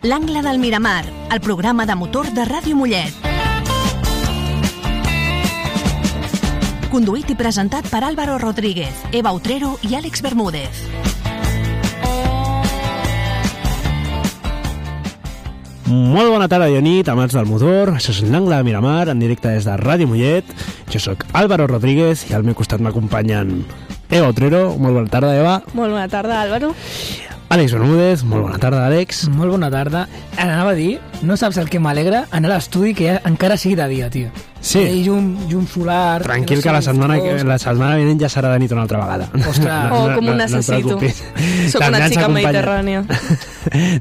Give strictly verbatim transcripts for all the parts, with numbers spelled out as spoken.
L'Angle del Miramar, el programa de motor de Ràdio Mollet. Conduït i presentat per Álvaro Rodríguez, Eva Utrero i Àlex Bermúdez. Molt bona tarda i nit, amants del motor. Això és l'Angle del Miramar, en directe des de Ràdio Mollet. Jo sóc Álvaro Rodríguez i al meu costat m'acompanyen Eva Utrero. Molt bona tarda, Eva. Molt bona tarda, Álvaro. Àlex Bermúdez. Molt bona tarda, Àlex. Molt bona tarda. Anava a dir, no saps el que m'alegra anar a l'estudi que ja encara sigui de dia, tio. Sí. I llum, llum solar... Tranquil, que, no que la, setmana, que la setmana vinent ja serà de nit una altra vegada. Ostres, no, oh, com ho necessito. No Soc una xica mediterrània.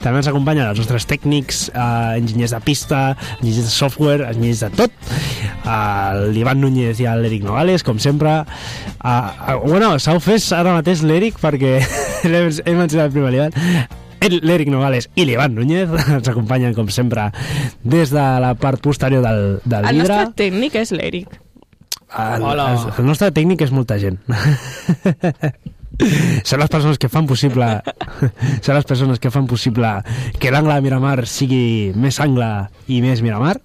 També ens acompanyen els nostres tècnics, eh, enginyers de pista, enginyers de software, enginyers de tot. Uh, l'Ivan Núñez i l'Eric Nogales, com sempre. Uh, uh, bueno, s'ha ofès ara mateix l'Eric perquè hem, hem mencionat primer l'Ivan. L'Eric Nogales i l'Ivan Núñez ens acompanyen, com sempre, des de la part posterior del, del el vidre. El nostre tècnic és l'Eric. El, el, el nostre tècnic és molta gent. Són les persones que fan possible són les persones que fan possible que l'Angle de Miramar sigui més angle i més Miramar.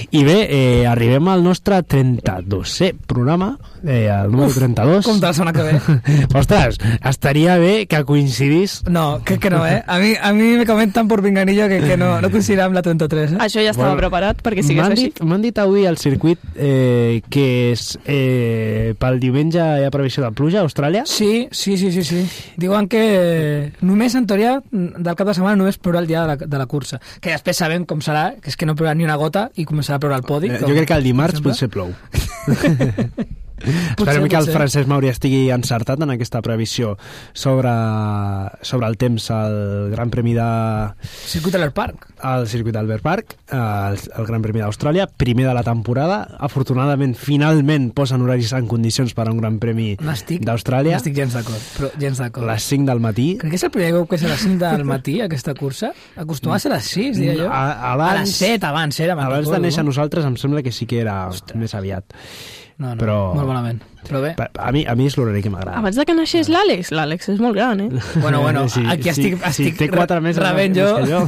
I bé, eh, arribem al nostre trenta-dosè programa, eh, el número trenta-dos. Com te la setmana que ve? Ostres, estaria bé que coincidís. No, crec que no, eh? A mi, a mi me comentan por pinganillo que, que no, no coincidirà amb la trenta-tres, eh? Això ja estava bueno, preparat perquè sigués així. M'han dit avui al circuit eh, que és, eh, pel diumenge hi ha previsió de pluja a Austràlia. Sí, sí, sí, sí, sí. Diuen que només, en teoria, del cap de setmana només plourà el dia de la, de la cursa. Que després sabem com serà, que és que no plourà ni una gota i començarà a ploure al podi. Eh, jo crec que el dimarts potser plou. Esperem que el Francesc Mauri estigui encertat en aquesta previsió sobre, sobre el temps al Gran Premi de... Circuit Albert Park. El Circuit Albert Park, el, el Gran Premi d'Austràlia, primer de la temporada. Afortunadament, finalment posen horaris en condicions per a un Gran Premi d'Austràlia. No estic gens d'acord, però gens d'acord. Les cinc del matí. Crec que és el primer cop que és a les cinc del matí, aquesta cursa. Acostuma a ser a les sis, diria jo. A, abans, a les set, abans era. Abans de néixer nosaltres em sembla que sí que era Ostres. més aviat. No, no, però, molt bonament. Però bé. A mi, a mi és l'horari que m'agrada. Abans de que naixés l'Àlex, l'Àlex és molt gran, eh? Bueno, bueno, sí, aquí estic, sí, estic sí, té quatre mesos rebent jo. jo.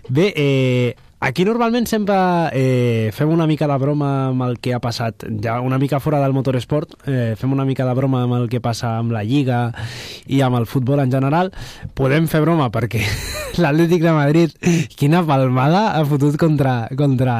Bé, eh, aquí normalment sempre eh, fem una mica de broma amb el que ha passat, ja una mica fora del motoresport, eh, fem una mica de broma amb el que passa amb la Lliga i amb el futbol en general. Podem fer broma perquè l'Atlètic de Madrid, quina palmada ha fotut contra, contra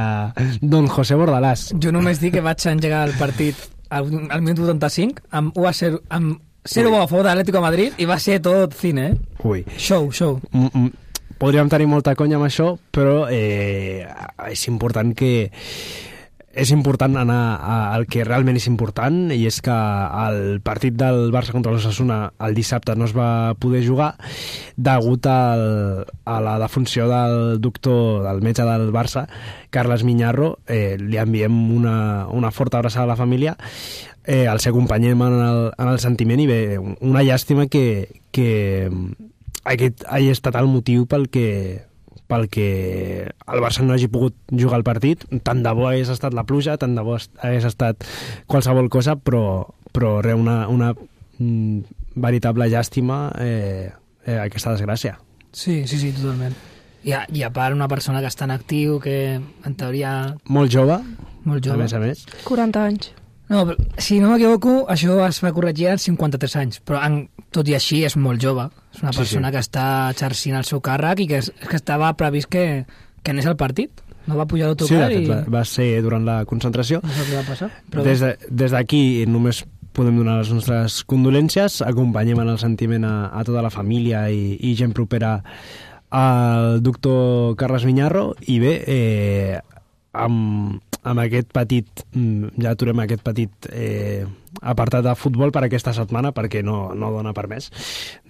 Don José Bordalàs. Jo només dic que vaig engegar el partit al, al minut vuitanta-cinc amb u a zero, amb zero a favor de l'Atlético de Madrid i va ser tot cine, eh? Ui. Show, show. Mm -mm. Podríem tenir molta conya amb això, però eh, és important que és important anar al que realment és important, i és que el partit del Barça contra l'Osasuna el dissabte no es va poder jugar degut al, a la defunció del doctor, del metge del Barça, Carles Miñarro. Eh, li enviem una, una forta abraçada a la família, eh, el seu acompanyem en el, en el sentiment, i bé, una llàstima que, que aquest hagi estat el motiu pel que pel que el Barça no hagi pogut jugar el partit. Tant de bo hagués estat la pluja, tant de bo hagués estat qualsevol cosa, però, però res, una, una mm, veritable llàstima eh, eh, aquesta desgràcia. Sí, sí, sí, totalment. I a, i a part una persona que està en actiu, que en teoria... Molt jove, molt jove. a més a més. quaranta anys. No, però, si no m'equivoco, això es va corregir en cinquanta-tres anys, però en, tot i així és molt jove. És una persona sí, sí. que està exercint el seu càrrec i que, és, que estava previst que, que anés al partit. No va pujar l'autocar sí, i... va, va ser durant la concentració. No sé què va passar. Però... Des, de, des d'aquí només podem donar les nostres condolències, acompanyem en el sentiment a, a tota la família i, i gent propera al doctor Carles Miñarro, i bé, eh, amb, amb aquest petit, ja aturem aquest petit eh, apartat de futbol per aquesta setmana, perquè no, no dona per més,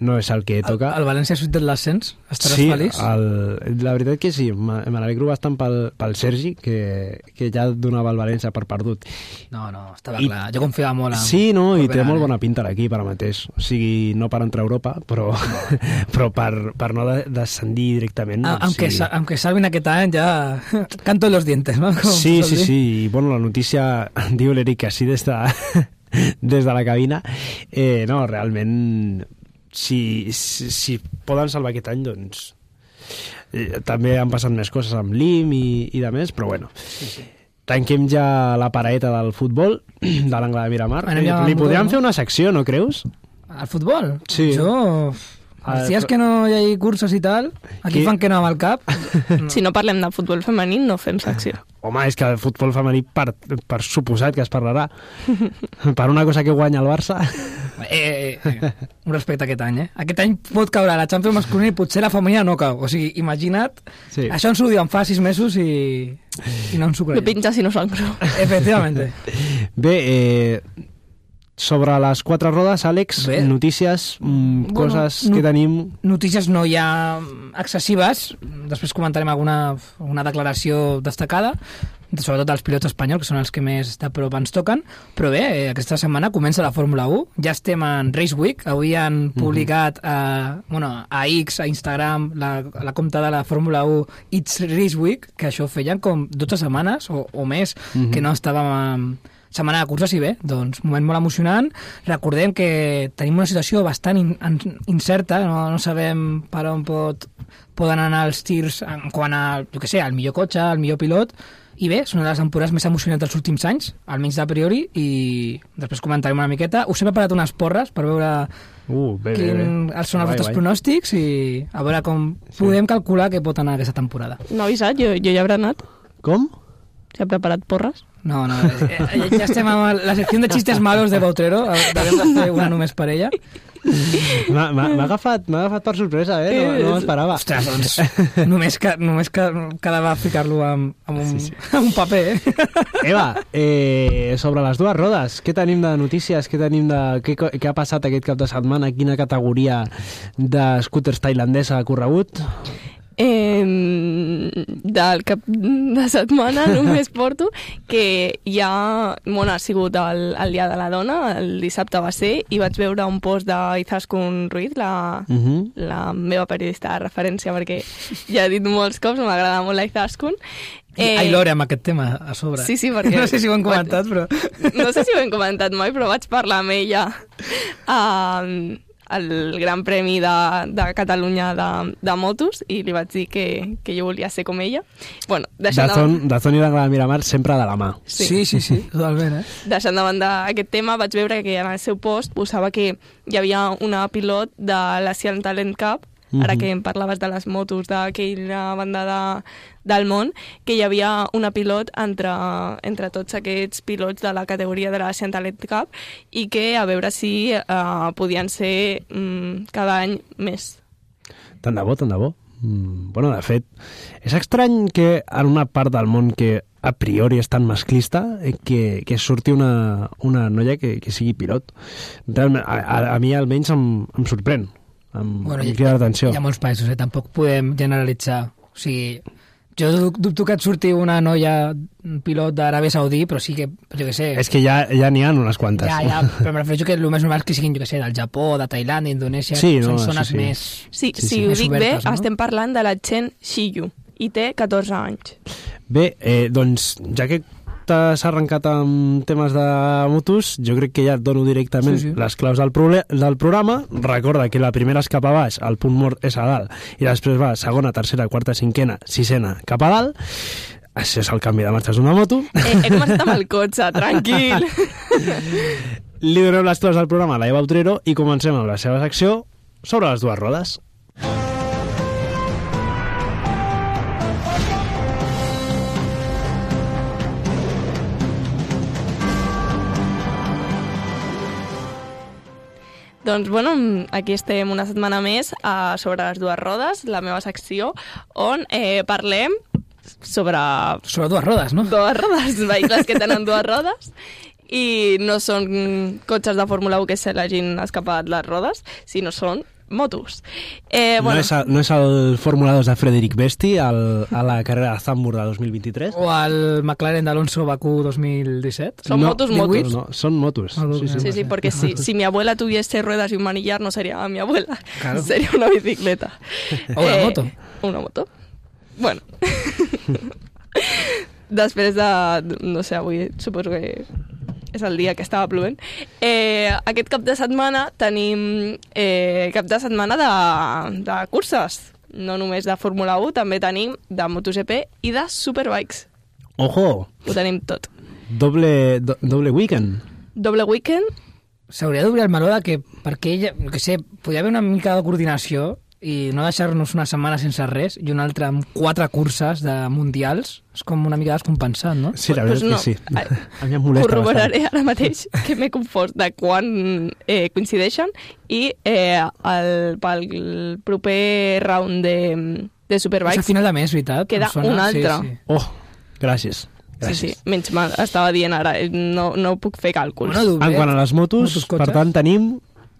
no és el que toca. El, el València ha sortit de l'ascens? Estaràs sí, feliç? Sí, la veritat que sí, me n'alegro bastant pel, pel Sergi, que, que ja donava el València per perdut. No, no, estava I, clar, jo confiava molt en... Sí, no, i té molt bona pinta l'equip ara mateix, o sigui, no per entrar a Europa, però, però per, per no descendir directament. Ah, doncs, aunque, sí. aunque salven aquest any ja canto en los dientes, no? Com sí, sí, sí, i bueno, la notícia diu l'Eric així des de des de la cabina, eh, no, realment si, si, si poden salvar aquest any, doncs també han passat més coses amb l'I M i, i de més, però bueno. Sí, sí. Tanquem ja la paraeta del futbol, de l'angle de Miramar. Li, li podríem fer una secció, no creus? Al futbol? Sí. Jo... Els dies que no hi hagi cursos i tal, aquí Qui? fan que no amb el cap. No. Si no parlem de futbol femení, no fem secció. Home, és que el futbol femení, per, per suposat que es parlarà. Per una cosa que guanya el Barça. Eh, eh, un respecte aquest any, eh? Aquest any pot caure la Champions masculina i potser la femenina no cau. O sigui, imagina't, sí. Això ens ho diuen fa sis mesos i, i no ens ho creiem. No pinta si no s'ho Efectivament. Bé, eh... sobre les quatre rodes, Àlex, Bé. notícies, mm, bueno, coses no, que tenim... Notícies no hi ha excessives, després comentarem alguna una declaració destacada, sobretot els pilots espanyols, que són els que més de prop ens toquen, però bé, aquesta setmana comença la Fórmula u, ja estem en Race Week, avui han publicat a, bueno, a X, a Instagram, la, la compte de la Fórmula u It's Race Week, que això feien com dotze setmanes o, o més, uh-huh. que no estàvem... A, setmana de curses i bé, doncs moment molt emocionant. Recordem que tenim una situació bastant in, in, incerta, no, no sabem per on pot, poden anar els tirs en quant a, jo què sé, al millor cotxe, al millor pilot, i bé, són una de les temporades més emocionants dels últims anys, almenys de priori, i després comentarem una miqueta. Us he preparat unes porres per veure uh, bé, quin bé, bé. són els vostres pronòstics i a veure com sí. podem calcular què pot anar aquesta temporada. No he avisat, jo, jo ja hauré anat. Com? Ja he preparat porres? No, no, eh, ja estem amb la secció de xistes malos de Bautrero, devem de fer una només per ella. M'ha agafat, m'ha agafat per sorpresa, eh? No, no m'esperava. Ostres, doncs, només, que, només que quedava ficar-lo amb, amb, un, sí, sí. amb un paper, eh? Eva, eh, sobre les dues rodes, què tenim de notícies? Què tenim de... Què, què ha passat aquest cap de setmana? Quina categoria de scooters tailandesa ha corregut? Eh, del cap de setmana només porto que ja bueno, ha sigut el, el dia de la dona, el dissabte va ser, i vaig veure un post d'Izaskun Ruiz, la, uh-huh. la meva periodista de referència, perquè ja he dit molts cops, m'agrada molt la Izaskun. Eh, Ai, Lore, amb aquest tema a sobre. Sí, sí, perquè... No sé si ho hem comentat, però... No sé si ho hem comentat mai, però vaig parlar amb ella uh, el Gran Premi de, de Catalunya de, de motos i li vaig dir que, que jo volia ser com ella. Bueno, Dazón, de... Dazón i l'Angle de Miramar sempre de la mà. Sí, sí, sí, sí totalment. Eh? Deixant de banda aquest tema, vaig veure que en el seu post posava que hi havia una pilot de l'Asian Talent Cup, mm-hmm. ara que em parlaves de les motos d'aquella banda de, del món, que hi havia una pilot entre, entre tots aquests pilots de la categoria de l'Asian Talent Cup i que a veure si uh, podien ser um, cada any més. Tant de bo, tant de bo. Mm, bueno, de fet, és estrany que en una part del món que a priori és tan masclista que, que surti una, una noia que, que sigui pilot. Realment, a, a, a mi almenys em, em sorprèn. Amb, bueno, amb crida d'atenció. Hi ha molts països, eh? Tampoc podem generalitzar. O sigui, jo dubto que et surti una noia pilot d'Aràbia Saudí, però sí que, jo què sé... És que ja ja n'hi ha unes quantes. Ja, ja, però em refereixo que el més normal és que siguin, jo què sé, del Japó, de Tailàndia, Indonèsia, sí, no, són zones sí, sí. més... Sí, sí, sí, si ho dic obertes, bé, no? Estem parlant de la Chen Shiyu, i té catorze anys. Bé, eh, doncs, ja que t'has arrencat amb temes de motos, jo crec que ja et dono directament sí, sí. les claus del, pro- del programa. Recorda que la primera és cap a baix, el punt mort és a dalt, i després va segona, tercera, quarta, cinquena, sisena, cap a dalt. Això és el canvi de marxes d'una moto. Eh, he començat amb el cotxe, tranquil. Li donem les claus del programa a la Eva Utrero i comencem amb la seva secció sobre les dues rodes. Doncs, bueno, aquí estem una setmana més a sobre les dues rodes, la meva secció, on eh, parlem sobre... Sobre dues rodes, no? Dues rodes, vehicles que tenen dues rodes, i no són cotxes de Fórmula u que se l'hagin escapat les rodes, sinó són motos. Eh, bueno. no, és el, no és el Fórmula dos de Frederic Besti el, a la carrera de Zandvoort de dos mil vint-i-tres? O el McLaren d'Alonso Bakú dos mil disset? Son no, motos, motos. No, son motos. Ah, sí, sí, sí, sí, porque si, si mi abuela tuviese ruedas y un manillar no sería mi abuela, claro. Sería una bicicleta. O una eh, moto. Una moto. Bueno. Després de... No sé, avui suposo que és el dia que estava plovent. Eh, aquest cap de setmana tenim eh, cap de setmana de, de curses. no només de Fórmula u, també tenim de MotoGP i de Superbikes. Ojo! Ho tenim tot. Doble, do, doble weekend. Doble weekend. S'hauria d'obrir el meló de que, perquè ella, que sé, podria haver una mica de coordinació i no deixar-nos una setmana sense res i una altra amb quatre curses de mundials. És com una mica descompensat, no? Sí, la veritat pues no. és que sí. A mi em molesta Corroboraré bastant. ara mateix que m'he confós de quan eh, coincideixen i eh, el, pel proper round de, de És Superbikes a final de mes, veritat? queda Em sona? un altre. Sí, sí. Oh, gràcies. Sí, gràcies. sí, menys mal, estava dient ara, no, no puc fer càlculs. Bueno, En quant a les motos, Motos, cotxes. per tant, tenim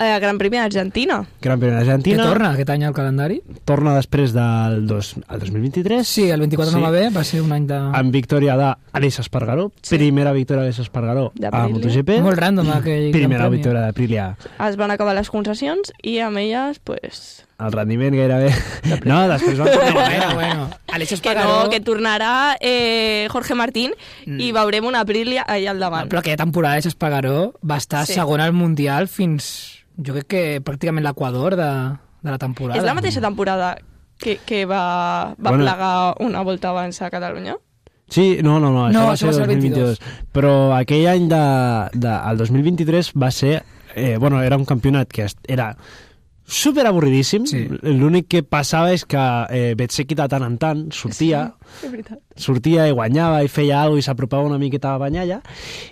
Eh, Gran Premi d'Argentina. Gran Premi Que d'Argentina. torna aquest any al calendari? Torna després del dos, el dos mil vint-i-tres. Sí, el vint-i-quatre Sí. no va bé, va ser un any de... Amb victòria d'Aleix Espargaró. Sí. Primera victòria d'Aleix Espargaró a D'Aprilia. MotoGP. Molt random aquell Primera Gran Premi. victòria d'Aprilia. Es van acabar les concessions i amb elles, pues, El rendiment gairebé... No, després van tornar a Bueno, guanyar. bueno. Aleix que Espargaró... no, que tornarà eh, Jorge Martín Mm. i veurem una Aprilia allà al davant. Però aquella temporada Aleix Espargaró va estar Sí. segon al Mundial fins, jo crec que pràcticament l'equador de, de la temporada. És la mateixa temporada que, que va, va Bueno. plegar una volta abans a Catalunya? Sí, no, no, no, això No, va això ser va ser el el dos mil vint-i-dos. Però aquell any, de, de, el dos mil vint-i-tres, va ser... Eh, bueno, era un campionat que est- era super avorridíssim. Sí. L'únic que passava és que eh, Betseki de tant en tant sortia, Sí, és veritat. sortia i guanyava i feia alguna cosa i s'apropava una miqueta a Banyalla,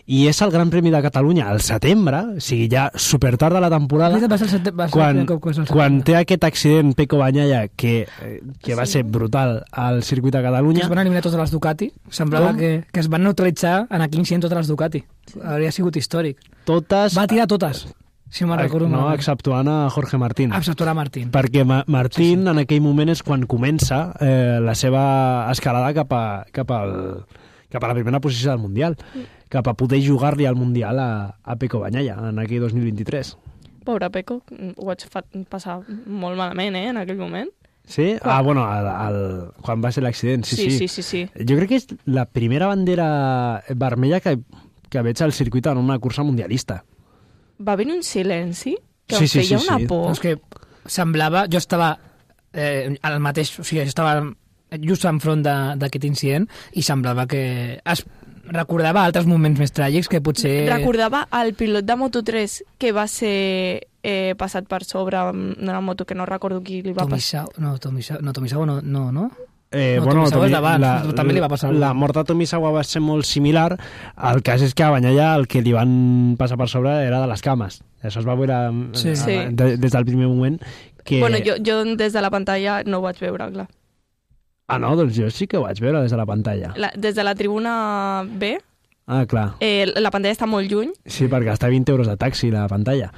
i és el Gran Premi de Catalunya al setembre, o sigui, ja super tard de la temporada, Va ser el sete- va ser el quan, primer cop que és el quan setembre. té aquest accident Pecco Bagnaia que, eh, que va Sí. ser brutal al circuit de Que Catalunya. es van eliminar totes les Ducati. Semblava Com? que, que es van neutralitzar en aquell incident totes les Ducati. Hauria sigut històric. Totes... Va tirar totes, si no me'n recordo no, malament. exceptuant a Jorge Martín. Exceptuarà Martín. Perquè Ma Martín, sí, sí. en aquell moment, és quan comença eh, la seva escalada cap a, cap, al, cap a la primera posició del Mundial, cap a poder jugar-li al Mundial a, a Pecco Bagnaia en aquell dos mil vint-i-tres. Pobre Pecco, ho vaig fa passar molt malament, eh, en aquell moment. Sí? Quan? Ah, bueno, el, el, quan va ser l'accident, sí, sí, sí. sí, sí, sí. Jo crec que és la primera bandera vermella que, que veig al circuit en una cursa mundialista. Va venir un silenci que Sí, em sí, feia sí, una sí. por. No, és que semblava... Jo estava eh, al mateix... O sigui, jo estava just enfront de- d'aquest incident i semblava que es recordava altres moments més tràgics que potser... Recordava el pilot de Moto tres que va ser eh, passat per sobre amb una moto que no recordo qui li va passar. Tomisawa, no, Tomisawa, no, Tomisawa no, no, no? Eh, No, bueno, Tomisawa és Tomi- d'abans, la, però també li va passar alguna la cosa. mort de Tomisawa va ser molt similar. El cas és que a Bagnaia el que li van passar per sobre era de les cames. Això es va veure Sí. eh, Sí. de, des del primer moment. Que... Bueno, jo, jo des de la pantalla no ho vaig veure, clar. Ah, no? Doncs jo sí que ho vaig veure des de la pantalla. La, des de la tribuna B, Ah, clar. eh, la pantalla està molt lluny. Sí, per gastar vint euros de taxi la pantalla.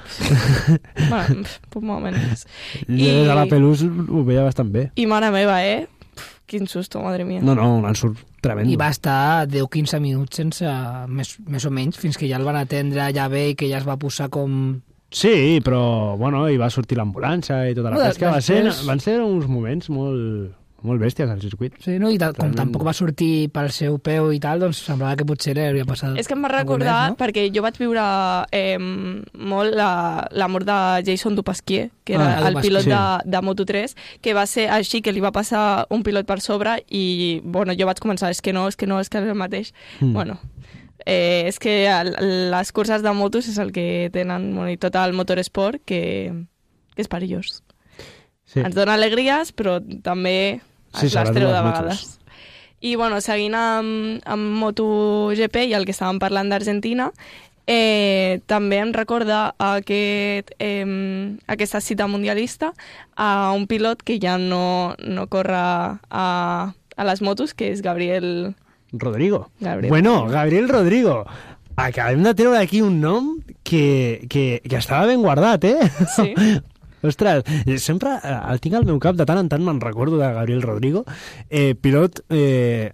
Bueno, pues molt menys. I... Des de la Pelús ho veia bastant bé. I mare meva, eh? Pf, quin susto, madre mia. No, no, un ensurt tremendo. I va estar deu a quinze minuts sense... Més, més o menys, fins que ja el van atendre ja bé i que ja es va posar com... Sí, però, bueno, hi va sortir l'ambulància i tota la No, pesca. Va ser, després- van ser uns moments molt, molt bèsties al circuit. Sí, no? I tal, com Tremendo. tampoc va sortir pel seu peu i tal, doncs semblava que potser li hauria passat... És que em va alguna recordar, més, no? perquè jo vaig viure eh, molt la, la mort de Jason Dupasquier, que era Ah, el Dupasquier. pilot Sí. de, de Moto tres, que va ser així, que li va passar un pilot per sobre i, bueno, jo vaig començar, és que no, és que no, és que és el mateix. Mm. Bueno, eh, és que el, les curses de motos és el que tenen, bueno, i tot el motorsport, que, que és perillós. Sí. Ens dona alegries, però també Sí, es les sobretot treu les de motos. vegades. I, bueno, seguint amb, amb MotoGP i el que estàvem parlant d'Argentina, eh, també em recorda aquest, eh, aquesta cita mundialista a un pilot que ja no, no corre a, a les motos, que és Gabriel... Rodrigo. Gabriel. Bueno, Gabriel Rodrigo. Acabem de treure aquí un nom que, que, que estava ben guardat, eh? Sí. Ostres, sempre eh, el tinc al meu cap, de tant en tant me'n recordo de Gabriel Rodrigo, eh, pilot, eh,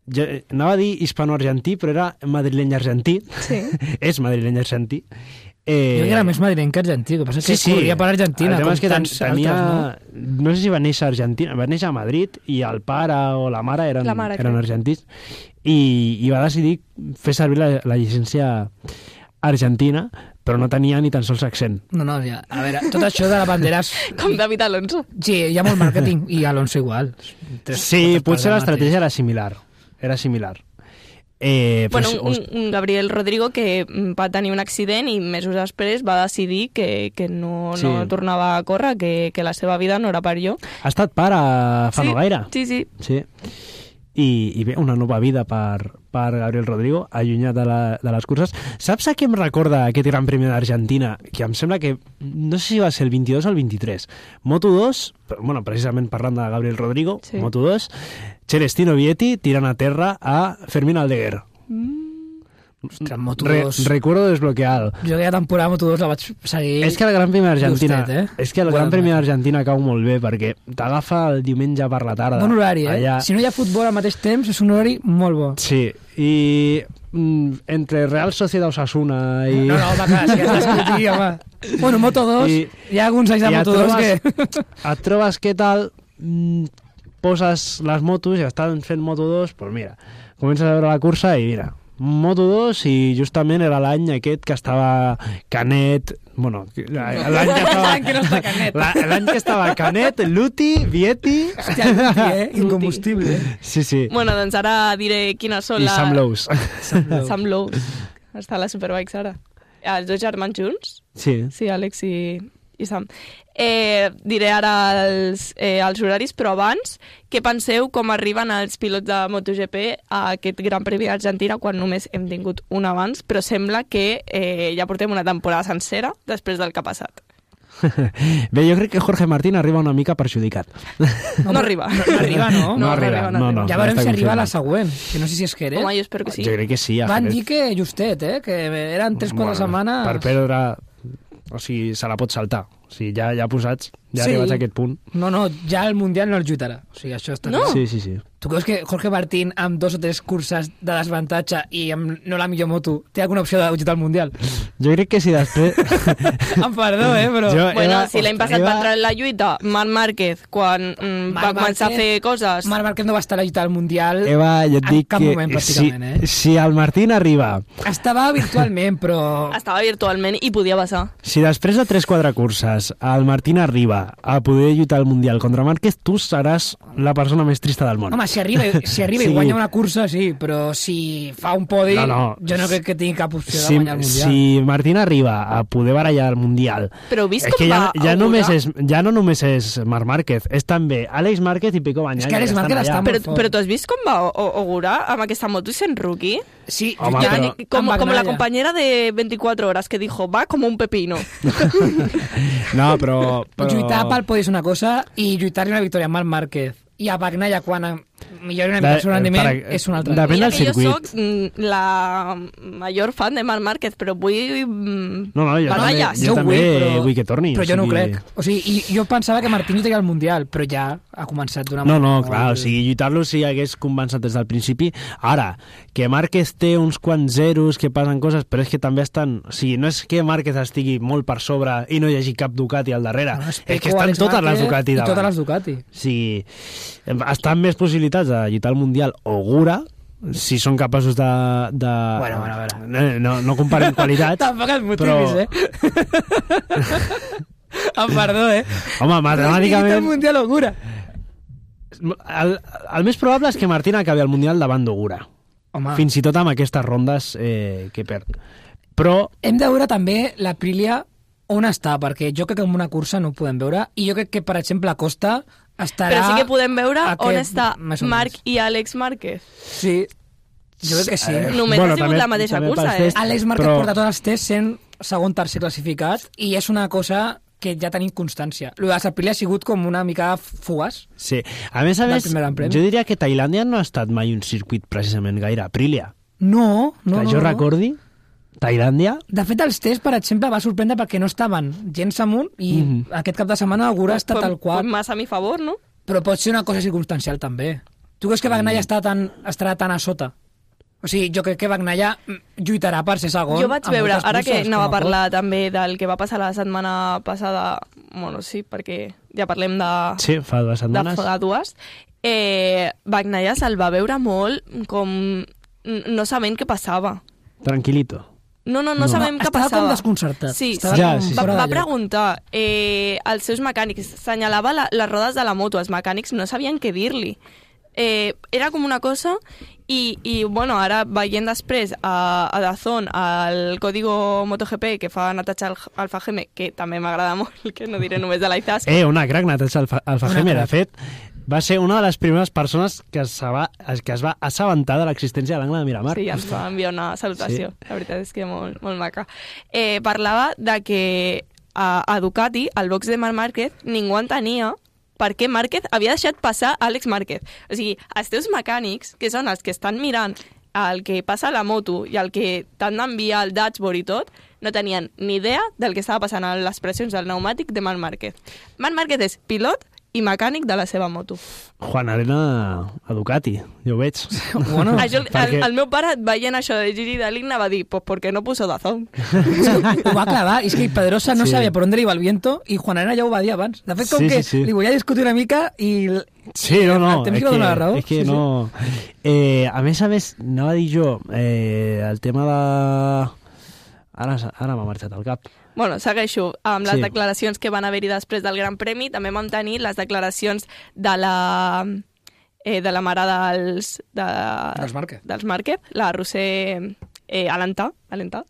ja, anava a dir hispano-argentí, però era madrileny-argentí, Sí. és madrileny-argentí. Eh, Jo que era més madrileny que argentí, el que passa és que corria per Argentina, el tema com és que ten, tants tenia, altres, no? no sé si va néixer a Argentina, va néixer a Madrid i el pare o la mare eren, La mare, eren crec. argentins i, i va decidir fer servir la, la llicència argentina però no tenia ni tan sols accent. No, no, ja. A veure, tot això de la bandera... És... Com David Alonso. Sí, hi ha molt màrqueting, i Alonso igual. Tres Sí, potser parts l'estratègia era similar. Era similar. Eh, Bueno, pues, un, un Gabriel Rodrigo que va tenir un accident i mesos després va decidir que, que no, Sí. no tornava a córrer, que, que la seva vida no era per allò. ha estat pare fa sí, no gaire. Sí, sí. Sí. I, i bé, una nova vida per, per Gabriel Rodrigo, allunyat de, la, de les curses. Saps a què em recorda aquest Gran Premi d'Argentina? Que em sembla que, no sé si va ser el vint-i-dos o el vint-i-tres. Moto dos, bueno, precisament parlant de Gabriel Rodrigo, Sí. Moto dos, Celestino Vietti tirant a terra a Fermín Aldeguer. Ostres, Moto Re, dos... recuerdo desbloqueado. Jo aquella temporada Moto dos la vaig seguir... És que el Gran Premi d'Argentina Justet, eh? és que el Gran Premi d'Argentina cau molt bé perquè t'agafa el diumenge per la tarda. Bon horari, eh? Allà... Si no hi ha futbol al mateix temps, és un horari molt bo. Sí, i mm, entre Real Sociedad Osasuna i... No, no, home, clar, sí que has d'escoltir, home. Bueno, Moto dos, I- hi ha alguns anys de i et Moto dos trobes- que... Et trobes què tal, mm, poses les motos i estan fent Moto dos, doncs mira, comences a veure la cursa i mira, Moto dos i justament era l'any aquest que estava Canet, bueno, l'any que estava... L'any que no està Canet. La- L'any que estava Canet, Luti, Vietti... Hòstia, Luti, eh? Incombustible. Sí, sí. Bueno, doncs ara diré quines són I les... Sam Lowe's. Sam Lowe's. Està a la Superbikes ara. Els dos germans junts? Sí. Sí, Àlex i, i Sam. Eh, diré ara els, eh, els horaris, però abans, què penseu com arriben els pilots de MotoGP a aquest Gran Premi d'Argentina quan només hem tingut un abans, però sembla que eh, ja portem una temporada sencera després del que ha passat. Bé, jo crec que Jorge Martín arriba una mica perjudicat. No arriba. No, no arriba, no? No arriba, no, no. Ja veurem està si arriba a la confirmat. següent, que no sé si és Jerez. Home, jo espero que sí. Jo crec que sí. a Van Jerez. dir que justet, eh? Que eren tres quatre setmanes... Per perdre... O sigui, se la pot saltar. O sigui, ja, ja posats, ja Sí. arribats a aquest punt. No, no, ja el Mundial no el lluitarà. O sigui, això està No. clar. Sí, sí, sí. Tu creus que Jorge Martín, amb dos o tres curses de desavantatge i amb no la millor moto, té alguna opció de lluitar al Mundial? Jo crec que si després... Em perdó, eh, però... Jo- Bueno, Eva, si l'any passat Eva- va entrar en la lluita Marc Márquez quan mm, va Marc començar a Márquez- fer coses... Marc Márquez no va estar a la lluita al Mundial Eva, jo et en dic cap que moment, si, pràcticament, eh? si el Martín arriba, Estava virtualment, però... Estava virtualment i podia passar. si després de tres quatre curses el Martín arriba a poder lluitar al Mundial contra Márquez, tu seràs la persona més trista del món. Home, si arriba, si arriba Sí. i guanya una cursa, sí, però si fa un podi, No, no. jo no crec que tingui cap opció de si, guanyar el Mundial. si Martín arriba a poder barallar el Mundial, Però heu vist és com que ja, va ja, augurar? només és, ja no només és Marc Márquez, és també Àlex Márquez i Pico Bagnaia. És que Àlex estan Márquez allà. està molt Però, fort. però tu has vist com va o- augurar amb aquesta moto i sent rookie? Sí, Home, ja, però- Como, amb como la Bagnaia. compañera de veinticuatro horas que dijo, va como un pepino. No, però... però... Lluitar pel podi és una cosa i lluitar-li una victòria amb Marc Márquez i a Bagnaia quan millori una mica el seu De- rendiment per- és una altra. depèn Mira del que jo circuit. soc mm, la major fan de Marc Márquez, però vull... mm, No, no, jo també, batalles. jo Jo també vull, però- vull que torni. Però jo o no ho sigui- crec. O sigui, i jo pensava que Martín lluitaria al Mundial, però ja ha començat d'una No, no, molt- clar, o sigui, lluitar-lo si hagués començat des del principi. Ara, que Márquez té uns quants zeros, que passen coses, però és que també estan... O sigui, no és que Márquez estigui molt per sobre i no hi hagi cap Ducati al darrere. No, és Pecco, que estan Alex totes Márquez les Ducati i davant. totes les Ducati. O sigui, estan més possibilitats de lluitar al Mundial o Gura, si són capaços de... de... Bueno, bueno, a veure. No, no, no comparem qualitats. Tampoc et motivis, però- eh? Em perdó, eh? Home, El matemàticament... Mundial augura. El, el més probable és que Martín acabi al Mundial davant d'Ogura. Home, Fins i tot amb aquestes rondes eh, que perd. Però hem de veure també l'Aprilia on està, perquè jo crec que en una cursa no ho podem veure, i jo crec que, per exemple, Costa estarà... Però sí que podem veure aquest- on està més o Marc menys. i Àlex Márquez. Sí, jo crec que sí. Eh, Només ha sigut també- la mateixa també cursa, pels eh? tests, Àlex Márquez però- porta tots els tests sent segon, tercer classificat, i és una cosa que ja tenim constància. Lo de l'Aprilia ha sigut com una mica fugaç. Sí. A més a Del més, primer Gran Premi. jo diria que Tailàndia no ha estat mai un circuit precisament gaire Aprilia. No, no, que no. jo no. recordi, Tailàndia... De fet, els tests, per exemple, va sorprendre perquè no estaven gens amunt i Mhm. aquest cap de setmana Augura està tal qual. Pues más a mi favor, no? Però pot ser una cosa circumstancial, també. Tu creus que Bagnaia està tan, estarà tan a sota? O sigui, jo crec que Bagnaia lluitarà per ser segon. Jo vaig en veure, moltes ara que curses, anava a com pot. parlar també del que va passar la setmana passada, bueno, sí, perquè ja parlem de, Sí, fa dues de setmanes. fa dues, eh, Bagnaia se'l va veure molt com n- no sabent què passava. Tranquilito. No, no, no, no sabem què estava passava. com desconcertat. Sí, Estava Ja, com sí, sí. va, fora va de lloc. preguntar eh, als seus mecànics, senyalava la, les rodes de la moto, els mecànics no sabien què dir-li. Eh, era com una cosa i, i bueno, ara veient després a, a Dazón el código MotoGP que fa Natasha Al- Alfajeme, que també m'agrada molt, que no diré només de l'Aizas. Eh, una crac, Natasha Alfa- Alfajeme, Una de fet, va ser una de les primeres persones que es va, que es va assabentar de l'existència de l'angle de Miramar. Sí, ens va enviar una salutació. Sí. La veritat és que molt, molt maca. Eh, parlava de que a, a Ducati, al box de Marc Márquez, ningú entenia per què Márquez havia deixat passar Àlex Márquez. O sigui, els teus mecànics, que són els que estan mirant el que passa a la moto i el que t'han d'enviar al dashboard i tot, no tenien ni idea del que estava passant a les pressions del pneumàtic de Marc Márquez. Marc Márquez és pilot i mecànic de la seva moto. Juan Arena a Ducati, jo ho veig. Bueno, Això, el, perquè- el meu pare, veient això de Gigi Dall'Igna, va dir, pues perquè no puso Dazón. ho va clavar, i és que Pedrosa no Sí. sabia per on iba el viento i Juan Arena ja ho va dir abans. De fet, com Sí, que sí, sí. li volia discutir una mica i... Sí, no, no, El temps és li va que, donar la raó. és que Sí, sí. no... Eh, a més a més, anava a dir jo, eh, el tema de... Ara, ara m'ha marxat al cap. Bueno, segueixo amb les Sí. declaracions que van haver-hi després del Gran Premi. També vam tenir les declaracions de la, eh, de la mare dels, de, Dels Márquez. dels Márquez, la Roser eh, Alentà, Alentà,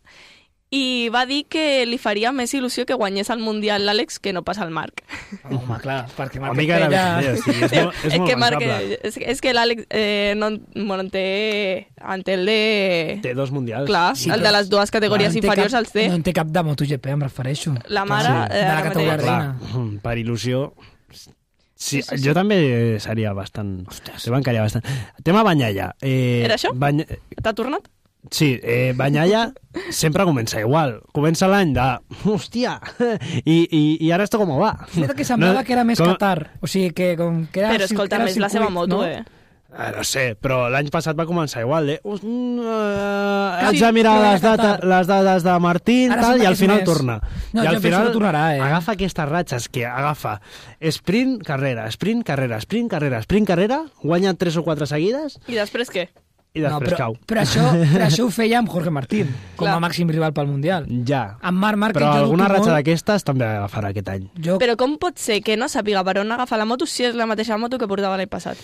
i va dir que li faria més il·lusió que guanyés el Mundial l'Àlex que no pas el Marc. Home, clar, perquè Una Márquez mica de feia- bé, sí, és molt, és molt que Marc, pensable. és, és que l'Àlex eh, no, bueno, en té, en té el de... Té dos mundials. Clar, Sí, el però- de les dues categories No en té inferiors cap- els té. No en té cap de MotoGP, em refereixo. La mare... Sí, eh, de la ara categoria mateix- reina. Clar, mm, per il·lusió... Sí, Sí, sí, sí. jo també seria bastant... Te bancaria bastant. Tema Banyalla. Eh, Era això? Bany... T'ha tornat? Sí, eh, Banyalla sempre comença igual. Comença l'any de... Hòstia! I, i, i ara esto com va? Mira que semblava No, que era més com- Qatar. O sigui, que com que era... Però escolta, que era més la seva circuit, moto, no? eh? Eh, no sé, però l'any passat va començar igual, eh? Uh, uh, haig Sí, de mirar però les, ja data, Qatar. les dades de Martín Ara tal, sembla i que al és final més. torna. No, I jo al penso final que tornarà, eh? agafa aquestes ratxes que agafa sprint, carrera, sprint, carrera, sprint, carrera, sprint, carrera, guanya tres o quatre seguides I després què? i després no, però, cau. però, això, però això ho feia amb Jorge Martín, com Clar. a màxim rival pel Mundial. Ja. Amb Marc Márquez Però jo alguna dubto ratxa molt- d'aquestes també agafarà aquest any. Jo, Però com pot ser que no sàpiga per on agafar la moto si és la mateixa moto que portava l'any passat?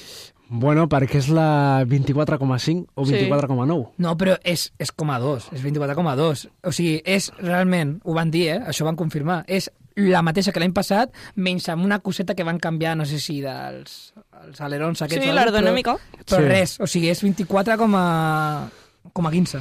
Bueno, perquè és la vint-i-quatre coma cinc o Sí. vint-i-quatre coma nou. No, però és, és com a dos, és vint-i-quatre coma dos. O sigui, és realment, ho van dir, eh? Això ho van confirmar, és la mateixa que l'any passat, menys amb una coseta que van canviar, no sé si dels els alerons aquests... Sí, o alguna, l'aerodinàmica. Però, però Sí. res, o sigui, és vint-i-quatre coma quinze.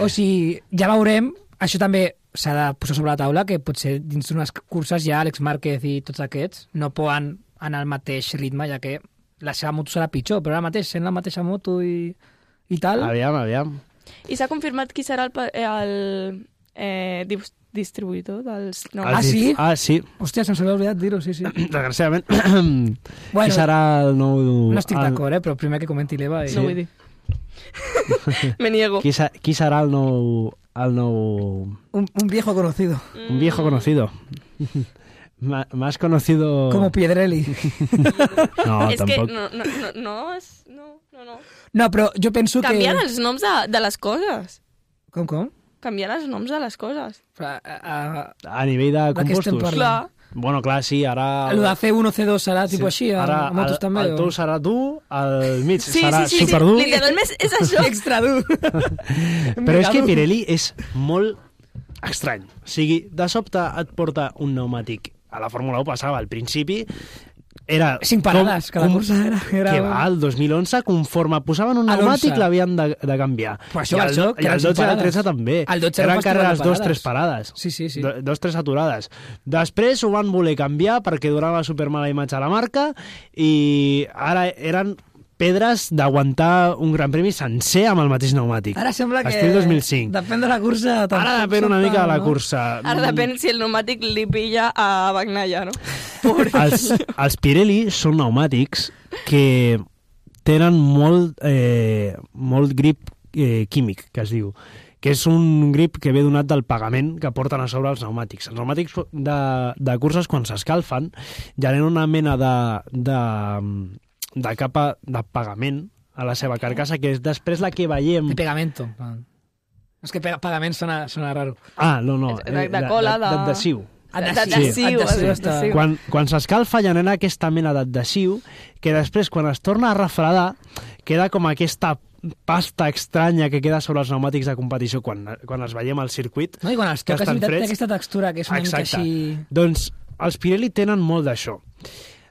O sigui, ja veurem, això també s'ha de posar sobre la taula, que potser dins d'unes curses ja Àlex Márquez i tots aquests no poden anar al mateix ritme, ja que la seva moto serà pitjor, però ara mateix, sent la mateixa moto i, i tal... Aviam, aviam. I s'ha confirmat qui serà el, pa- eh, el eh, dis- distribuïdor dels... No, Ah, El sí? Ah, sí. Hòstia, se'ns havia oblidat dir-ho, sí, sí. Desgraciadament. Bueno, Qui serà el nou... No estic el- d'acord, eh? Però primer que comenti l'Eva... I... no vull dir. Me niego. Qui, sa- qui serà el nou... El nou... Un, un viejo conocido, Un viejo conocido. Ma- Más conocido... como Piedrelli. No, és que tampoc. no, no, no, no, és, no, no, no. No, però jo penso Canviant que... els noms de, de les coses. Com, com? Canviant els noms de les coses. A, a, A nivell de De què estem compostos. parlant? Clar. Bueno, clar, sí, ara... a, lo de C uno, C dos serà tipus així, a, Ara, a motos el, també? el tu serà tu, el mig Sí, serà sí, sí, sí. superdur. Literalment és això. Extra dur. Però és que Pirelli és molt estrany. O sigui, de sobte et porta un pneumàtic. A la Fórmula u passava al principi, era... Cinc parades, cada cursa era- era Que un- va, el dos mil onze, conforme posaven un A pneumàtic, l'onze. l'havien de, de canviar. Però això I va el, això, do- que I eren el cinc dotze i el parades. tretze també. El dotze era un Eren festival de carreres dos, parades. tres parades. Sí, sí, sí. Do, dos, tres aturades. Després ho van voler canviar perquè donava supermala imatge a la marca i ara eren pedres d'aguantar un gran premi sencer amb el mateix pneumàtic. Ara sembla que... Estil dos mil cinc. Depèn de la cursa... Ara tampoc depèn una sóc mica de tan, la no? cursa. Ara depèn si el pneumàtic li pilla a Bagnaia, no? Els, els Pirelli són pneumàtics que tenen molt, eh, molt grip eh, químic, que es diu, que és un grip que ve donat del pagament que porten a sobre els pneumàtics. Els pneumàtics de, de curses, quan s'escalfen, generen una mena de, de, de capa de pagament a la seva carcassa, que és després la que veiem... De pegamento. És que pagament sona, sona raro. Ah, no, no. De, de cola, de... D'adhesiu. Adhesiu. Adhesiu. Quan, quan s'escalfa genera aquesta mena d'adhesiu que després, quan es torna a refredar, queda com aquesta pasta estranya que queda sobre els pneumàtics de competició quan, quan els veiem al circuit. No, i quan els que toques, estan té freds. aquesta textura que és una mica Exacte. així... Doncs els Pirelli tenen molt d'això.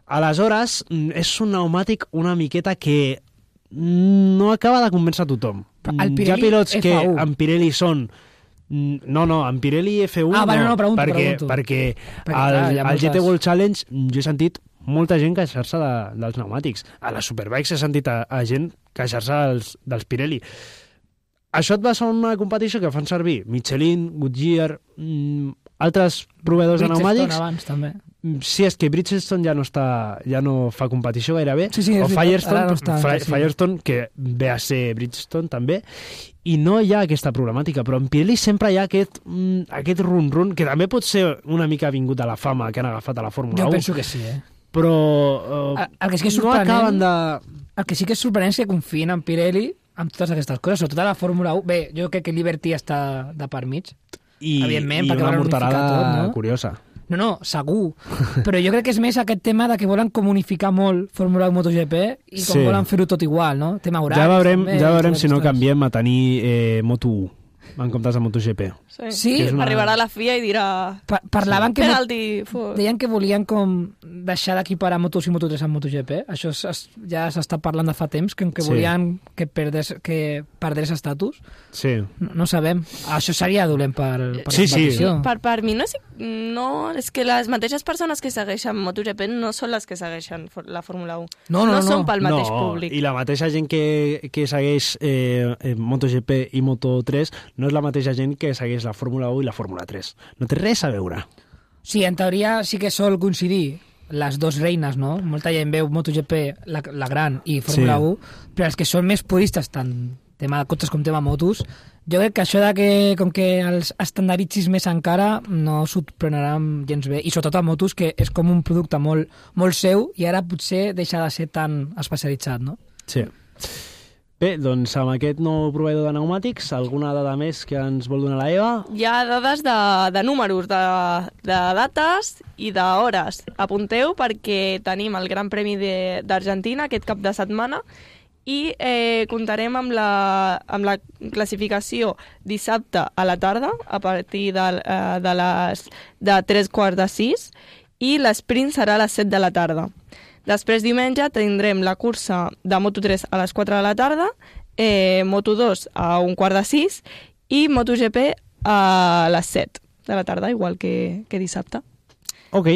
Aleshores, és un pneumàtic una miqueta que no acaba de convèncer a tothom. El Pirelli Hi ha pilots que F un. en Pirelli són... No, no, en Pirelli F un Ah, vale, no, pregunto, perquè, pregunto. perquè, Perquè, al, clar, hi ha al G T moltes- World Challenge jo he sentit molta gent queixar-se de, dels pneumàtics. A les Superbikes he sentit a, a gent queixar-se dels, dels Pirelli. Això et va ser una competició que fan servir Michelin, Goodyear, mm, altres proveïdors de Bridgestone pneumàtics. abans, també. Sí, és que Bridgestone ja no està, ja no fa competició gairebé. Sí, sí, és o veritat, Firestone, ara no està, Fri- sí. Firestone, que ve a ser Bridgestone també, i no hi ha aquesta problemàtica, però en Pirelli sempre hi ha aquest, mm, aquest run-run, que també pot ser una mica vingut a la fama que han agafat a la Fórmula Jo un, penso que sí, eh? però eh, El- el que sí que és no sorprenent- acaben de... El que sí que és sorprenent és que confien en Pirelli amb totes aquestes coses, sobretot a la Fórmula un. Bé, jo crec que Liberty està de per mig. I, Evidentment, i perquè una volen unificar morterada tot, no? curiosa. No, no, segur. Però jo crec que és més aquest tema de que volen comunificar molt Fórmula un MotoGP i com Sí. volen fer-ho tot igual, no? Tema horaris, Ja veurem, també, ja veurem totes si no aquestes- canviem a tenir eh, Moto u en comptes de MotoGP. Sí. Sí, que és una- Arribarà la F I A i dirà... Pa parlaven que... Penalti. fu- Deien que volien com deixar d'equiparar Moto dos i Moto tres amb MotoGP. Això es, es, ja s'està parlant de fa temps, que, que Sí. volien que perdés, que perdés estatus. Sí. No, no sabem. Això seria dolent per, per Sí, la sí. competició. Per, per mi no és, no, és que les mateixes persones que segueixen MotoGP no són les que segueixen for- la Fórmula un. No, no, no. són pel mateix no, públic. I la mateixa gent que, que segueix eh, eh, MotoGP i Moto tres no és la mateixa gent que segueix la Fórmula un i la Fórmula tres. No té res a veure. Sí, en teoria sí que sol coincidir les dues reines, no? Molta gent veu MotoGP, la, la gran, i Fórmula Sí. un, però els que són més puristes, tant tema de cotxes com tema motos, jo crec que això de que, com que els estandarditzis més encara, no s'ho prendran gens bé. I sobretot a motos, que és com un producte molt, molt seu, i ara potser deixa de ser tan especialitzat, no? Sí. Bé, doncs amb aquest nou proveïdor de pneumàtics, alguna dada més que ens vol donar la Eva? Hi ha dades de, de números, de, de dates i d'hores. Apunteu perquè tenim el Gran Premi de- d'Argentina aquest cap de setmana i eh, comptarem amb la, amb la classificació dissabte a la tarda a partir de, eh, de les de tres quarts de sis i l'esprint serà a les set de la tarda. Després, diumenge, tindrem la cursa de Moto tres a les quatre de la tarda, eh, Moto dos a un quart de sis i MotoGP a les set de la tarda, igual que, que dissabte. Ok,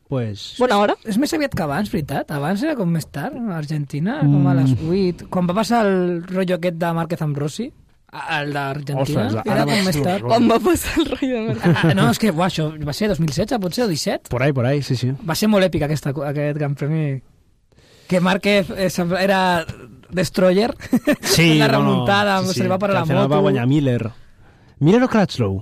pues... Bona hora. És més aviat que abans, veritat? Abans era com més tard, a Argentina, com a les vuit. Quan va passar el rotllo aquest de Márquez amb Rossi, el d'Argentina, Ostres, era ara com vaig més tard. trobar. On va passar el rei de Merda? Ah, no, és que buah, això va ser dos mil setze, potser, o disset? Por ahí, por ahí, sí, sí. Va ser molt èpic aquesta, aquest gran premi. Que Márquez eh, sembla- era Destroyer, Sí, la no, no, remuntada, sí, se li va que parar al la final moto. va guanyar Miller. Miller o Crutchlow?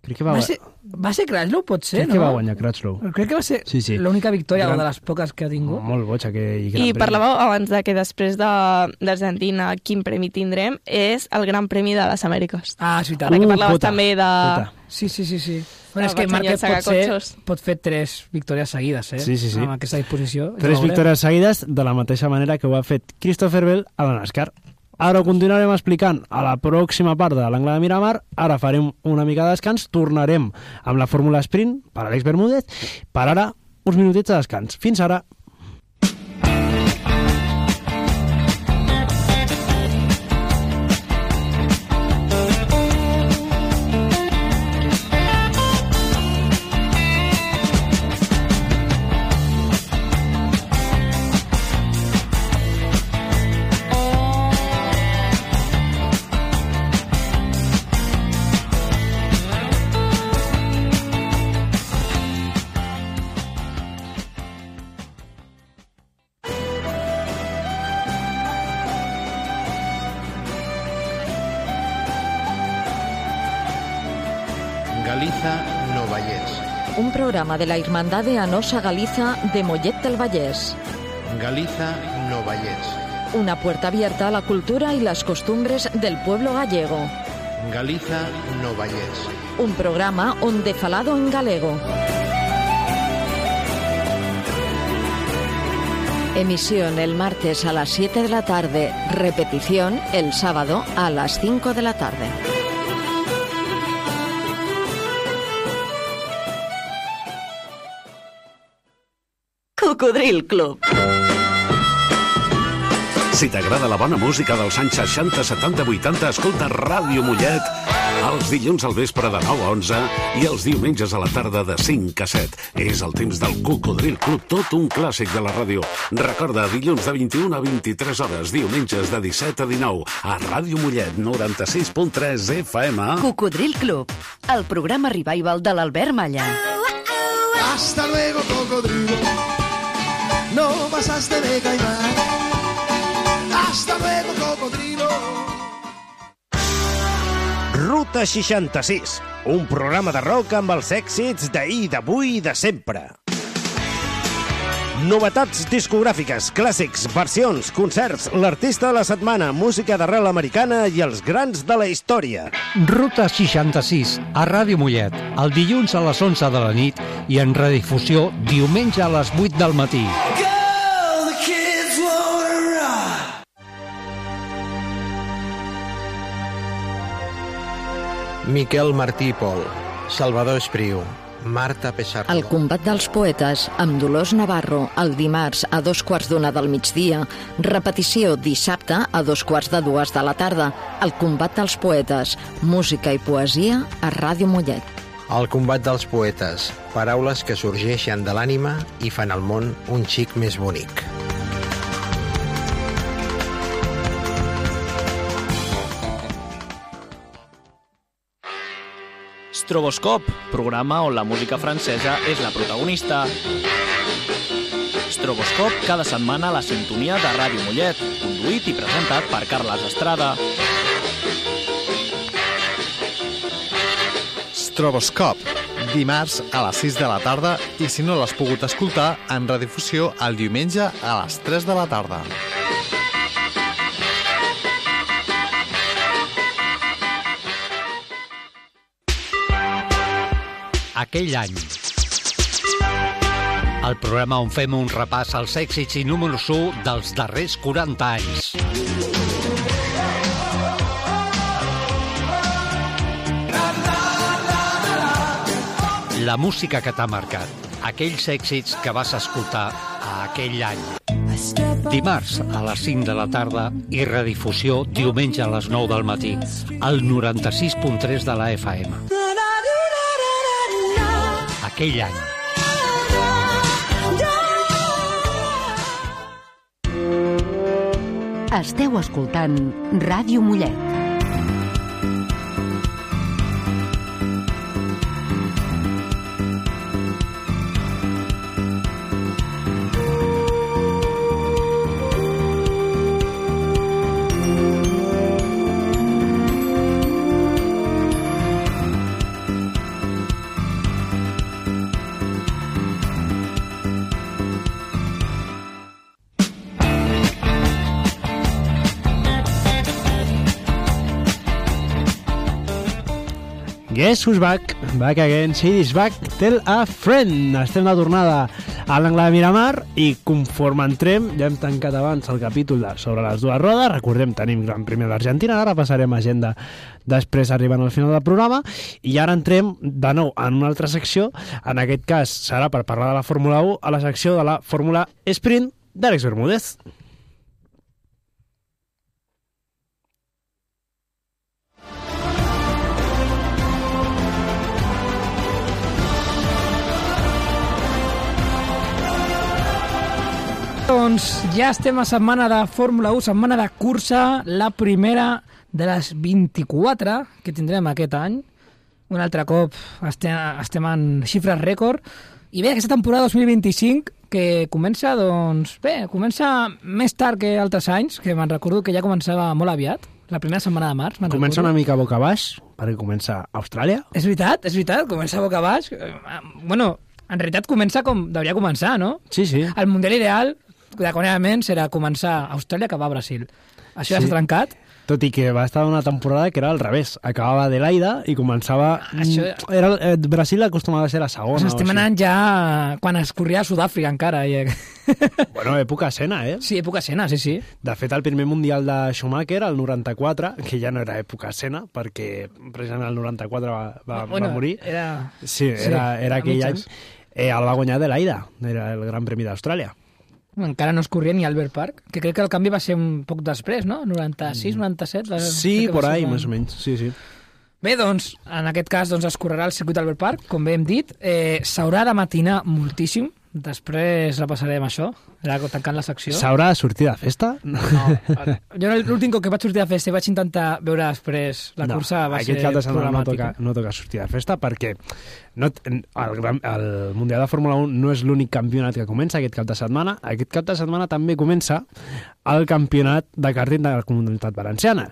Crec que va, Va ser, va ser Crashlow, potser, crec no? que va guanyar Crutchlow. Crec que va ser Sí, sí. l'única victòria, Gran- o de les poques que ha tingut. Molt boig aquell gran I premi. parlàveu abans de que després de- d'Argentina quin premi tindrem és el Gran Premi de les Amèriques. Ah, és veritat. Ara que Uh, parlaves cota, també de... cota. Sí, sí, sí, sí. Bueno, és Va que Márquez ensenyar pot, ser, cotxos. pot fer tres victòries seguides, eh? Sí, sí, sí. Amb aquesta disposició. Ja Tres veurem. victòries seguides de la mateixa manera que ho ha fet Christopher Bell a la NASCAR. Ara ho continuarem explicant a la pròxima part de l'Angle de Miramar. Ara farem una mica de descans, tornarem amb la Fórmula Sprint per Àlex Bermúdez. Per ara, uns minutets de descans. Fins ara. Galiza no Vallès. Un programa de la Hermandad de Anosa Galiza de Mollet del Vallès. Galiza no Vallès. Una puerta abierta a la cultura y las costumbres del pueblo gallego. Galiza no Vallès. Un programa onde falado en galego. Emisión el martes a las siete de la tarde, repetición el sábado a las cinco de la tarde. Cocodril Club. Si t'agrada la bona música dels anys seixanta, setanta, vuitanta, escolta Ràdio Mollet els dilluns al vespre de nou a onze i els diumenges a la tarda de cinc a set. És el temps del Cocodril Club, tot un clàssic de la ràdio. Recorda, dilluns de vint-i-una a vint-i-tres hores, diumenges de disset a dinou, a Ràdio Mollet, noranta-sis punt tres F M. Cocodril Club, el programa revival de l'Albert Malla. Hasta luego, cocodrilo. No pasaste de caimán. Hasta luego, cocodrilo. Ruta seixanta-sis, un programa de rock amb els èxits d'ahir, d'avui i de sempre. Novetats discogràfiques, clàssics, versions, concerts, l'artista de la setmana, música d'arrel americana i els grans de la història. Ruta seixanta-sis, a Ràdio Mollet, el dilluns a les onze de la nit i en redifusió diumenge a les vuit del matí. Miquel Martí i Pol, Salvador Espriu, Marta Pessardo. El combat dels poetes amb Dolors Navarro el dimarts a dos quarts d'una del migdia, repetició dissabte a dos quarts de dues de la tarda. El combat dels poetes, música i poesia a Ràdio Mollet. El combat dels poetes, paraules que sorgeixen de l'ànima i fan el món un xic més bonic. Stroboscop, programa on la música francesa és la protagonista. Stroboscop, cada setmana a la sintonia de Ràdio Mollet, conduït i presentat per Carles Estrada. Stroboscop, dimarts a les sis de la tarda i si no l'has pogut escoltar, en redifusió el diumenge a les tres de la tarda. Aquell any. El programa on fem un repàs als èxits i números u dels darrers quaranta anys. La música que t'ha marcat. Aquells èxits que vas escoltar a aquell any. Dimarts a les cinc de la tarda i redifusió diumenge a les nou del matí. Al noranta-sis punt tres de la F M. Aquell any. Esteu escoltant Ràdio Mollet. Guess who's back? Back again. Shady's back. Tell a friend. Estem de tornada a l'angle de Miramar i conforme entrem, ja hem tancat abans el capítol de sobre les dues rodes. Recordem, tenim Gran Premi d'Argentina, ara passarem agenda després arribant al final del programa i ara entrem de nou en una altra secció. En aquest cas serà per parlar de la Fórmula u a la secció de la Fórmula Sprint d'Àlex Bermúdez. Doncs ja estem a setmana de Fórmula u, setmana de cursa, la primera de les vint-i-quatre que tindrem aquest any. Un altre cop estem, estem en xifres rècord. I bé, aquesta temporada dos mil vint-i-cinc, que comença, doncs, bé, comença més tard que altres anys, que me'n recordo que ja començava molt aviat, la primera setmana de març. Comença recordo. Una mica boca baix, perquè comença a Austràlia. És veritat, és veritat, comença boca baix. Bueno, en realitat comença com devia començar, no? Sí, sí. El Mundial ideal, d'aconament, serà començar a Austràlia que va a Brasil. Això ja sí. s'ha trencat. Tot i que va estar una temporada que era al revés. Acabava Adelaida i començava... Això... Era, eh, Brasil acostumava a ser la segona. Ens estem anant ja quan es corria a Sud-àfrica encara. I... Bueno, època Senna, eh? Sí, època Senna, sí, sí. De fet, el primer Mundial de Schumacher, el noranta-quatre, que ja no era època Senna, perquè precisament el noranta-quatre va, va, bueno, va morir. Era... Sí, era, era aquell any. Eh, el va guanyar Adelaida, era el Gran Premi d'Austràlia. Encara no es corria ni Albert Park, que crec que el canvi va ser un poc després, no? noranta-sis, noranta-set? Va, sí, por ahí, més o menys, sí, sí. Bé, doncs, en aquest cas doncs, es correrà el circuit Albert Park, com bé hem dit. Eh, S'haurà de matinar moltíssim, després repassarem això, era tancant la secció. S'haurà de sortir de festa? No, jo l'últim cop que vaig sortir de festa i vaig intentar veure després la no, cursa va ser cap de setmana no problemàtica. toca, no toca sortir de festa perquè no, el, gran, el Mundial de Fórmula un no és l'únic campionat que comença aquest cap de setmana. Aquest cap de setmana també comença el campionat de karting de la Comunitat Valenciana.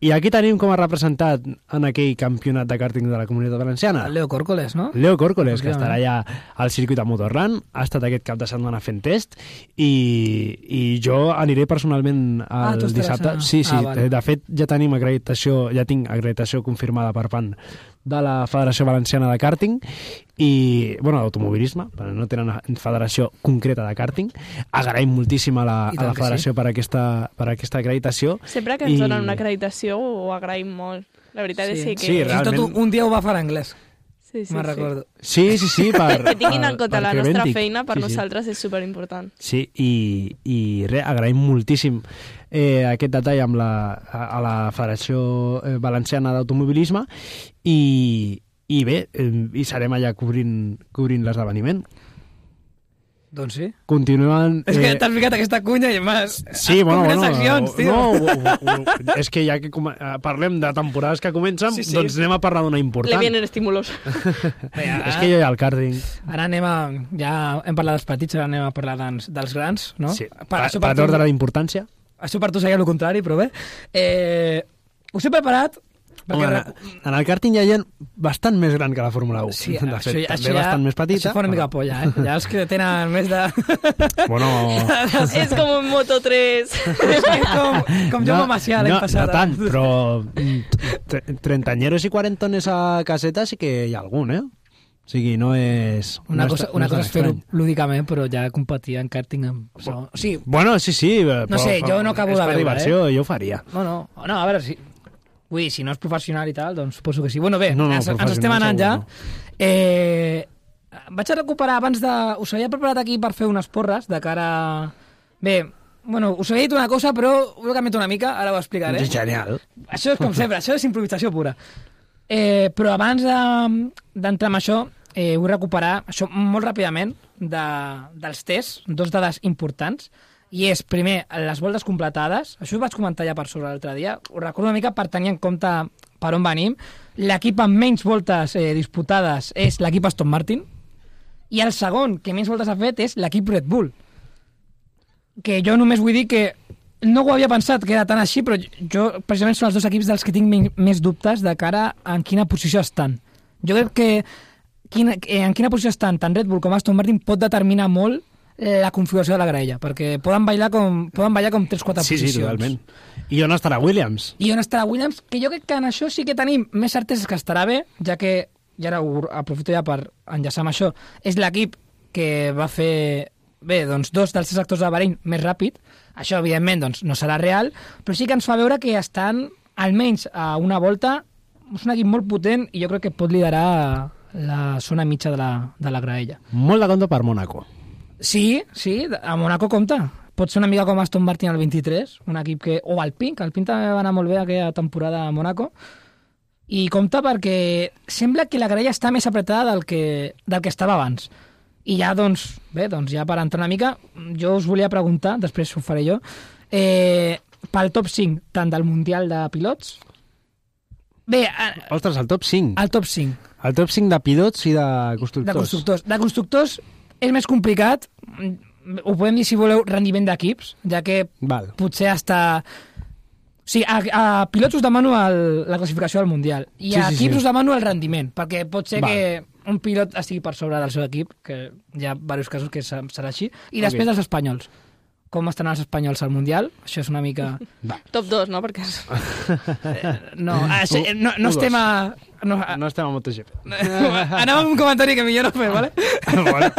I aquí tenim com a representat en aquell campionat de karting de la Comunitat Valenciana. El Leo Córcoles, no? Leo Córcoles, que estarà ja al circuit de Motorland, ha estat aquest cap de setmana fent test, i, i jo aniré personalment el ah, dissabte. A... Sí, sí, ah, vale. De fet ja tenim acreditació, ja tinc acreditació confirmada per part de la Federació Valenciana de Karting i, bueno, d'automobilisme, però no tenen federació concreta de karting. Agraïm moltíssim a la, a la federació sí. per, aquesta, per aquesta acreditació. Sempre que ens I... donen una acreditació ho agraïm molt. La veritat sí. és que... Sí, realment... Tot un dia ho va fer en anglès. Sí, sí, me'n recordo. Sí, sí, sí. Per, que tinguin en compte la nostra dic. feina per sí, nosaltres sí. és superimportant. Sí, i, i res, agraïm moltíssim eh, aquest detall amb la, a, a la Federació Valenciana d'Automobilisme i, i bé, eh, hi serem allà cobrint, cobrint l'esdeveniment. Doncs sí. Continuen... És que eh... t'has ficat aquesta cunya i més... Sí, bueno, bueno... seccions, tio. No, no, no, és que ja que com... parlem de temporades que comencen, sí, sí. doncs anem a parlar d'una important. Le vienen estímulos. Bé, és que jo hi ha el karting. Ara anem a... Ja hem parlat dels petits, ara anem a parlar dels, dels grans, no? Sí, per, per, per l'ordre d'importància. Això per tu seria el contrari, però bé. Eh, us he preparat... Home, en, en el karting hi ha gent bastant més gran que la Fórmula un. Sí, de fet, això, també això bastant ja, més petita. Això fa una mica polla, eh? Ja els que tenen més de... Bueno... és com un Moto tres. com com jo no, Macià l'any no, passat. No tant, però trentañeros i quarantones a caseta sí que hi ha algun, eh? O sigui, no és... Una no cosa, és, una no cosa és fer-ho lúdicament, però ja competir en karting amb... Bueno, sí. bueno, sí, sí. Però, no sé, jo no acabo de veure, diversió, eh? Jo ho faria. No, no, no, a veure si... Ui, si no és professional i tal, doncs suposo que sí. Bueno, bé, no, no, ens, ens estem anant ja. No. Eh, vaig a recuperar abans de... Us havia preparat aquí per fer unes porres de cara... Bé, bueno, us havia dit una cosa, però ho he canviat una mica, ara ho explicaré. És genial. Això és com sempre, això és improvisació pura. Eh, però abans d'entrar en això, eh, vull recuperar això molt ràpidament de, dels tests, dos dades importants. I és, primer, les voltes completades. Això ho vaig comentar ja per sobre l'altre dia. Ho recordo una mica per tenir en compte per on venim. L'equip amb menys voltes eh, disputades és l'equip Aston Martin. I el segon que menys voltes ha fet és l'equip Red Bull. Que jo només vull dir que no ho havia pensat que era tan així, però jo precisament són els dos equips dels que tinc més dubtes de cara a en quina posició estan. Jo crec que quina, en quina posició estan tant Red Bull com Aston Martin pot determinar molt la configuració de la graella, perquè poden ballar com, poden ballar com tres quatre sí, posicions. Sí, totalment. I on estarà Williams? I on estarà Williams, que jo crec que en això sí que tenim més certeses que estarà bé, ja que, i ara ho aprofito ja per enllaçar amb això, és l'equip que va fer, bé, doncs dos dels tres actors de Bahrein més ràpid. Això, evidentment, doncs, no serà real, però sí que ens fa veure que estan, almenys a una volta, és un equip molt potent i jo crec que pot liderar la zona mitja de la, de la graella. Molt de compte per Mónaco. Sí, sí, a Mónaco compta. Pot ser una mica com Aston Martin al vint-i-tres, un equip que... O Alpine, que Alpine també va anar molt bé aquella temporada a Mónaco. I compta perquè sembla que la graella està més apretada del que, del que estava abans. I ja, doncs, bé, doncs ja per entrar una mica, jo us volia preguntar, després ho faré jo, eh, pel top cinc, tant del Mundial de Pilots... Bé... Eh, Ostres, el top cinc. El top cinc. El top cinc de pilots i de constructors. De constructors. De constructors és més complicat, ho podem dir si voleu rendiment d'equips, ja que Val. potser hasta... O sigui, a, a pilots us demano el, la classificació del Mundial i sí, a sí, equips sí. us demano el rendiment, perquè pot ser Val. que un pilot estigui per sobre del seu equip, que hi ha diversos casos que serà així, i després okay. dels espanyols. com estan els espanyols al Mundial. Això és una mica... Va. Top dos, no? Perquè... Eh, no, això, no, no estem a... No, no estem a MotoGP. Anem amb un comentari que millor no fer, vale? Bueno.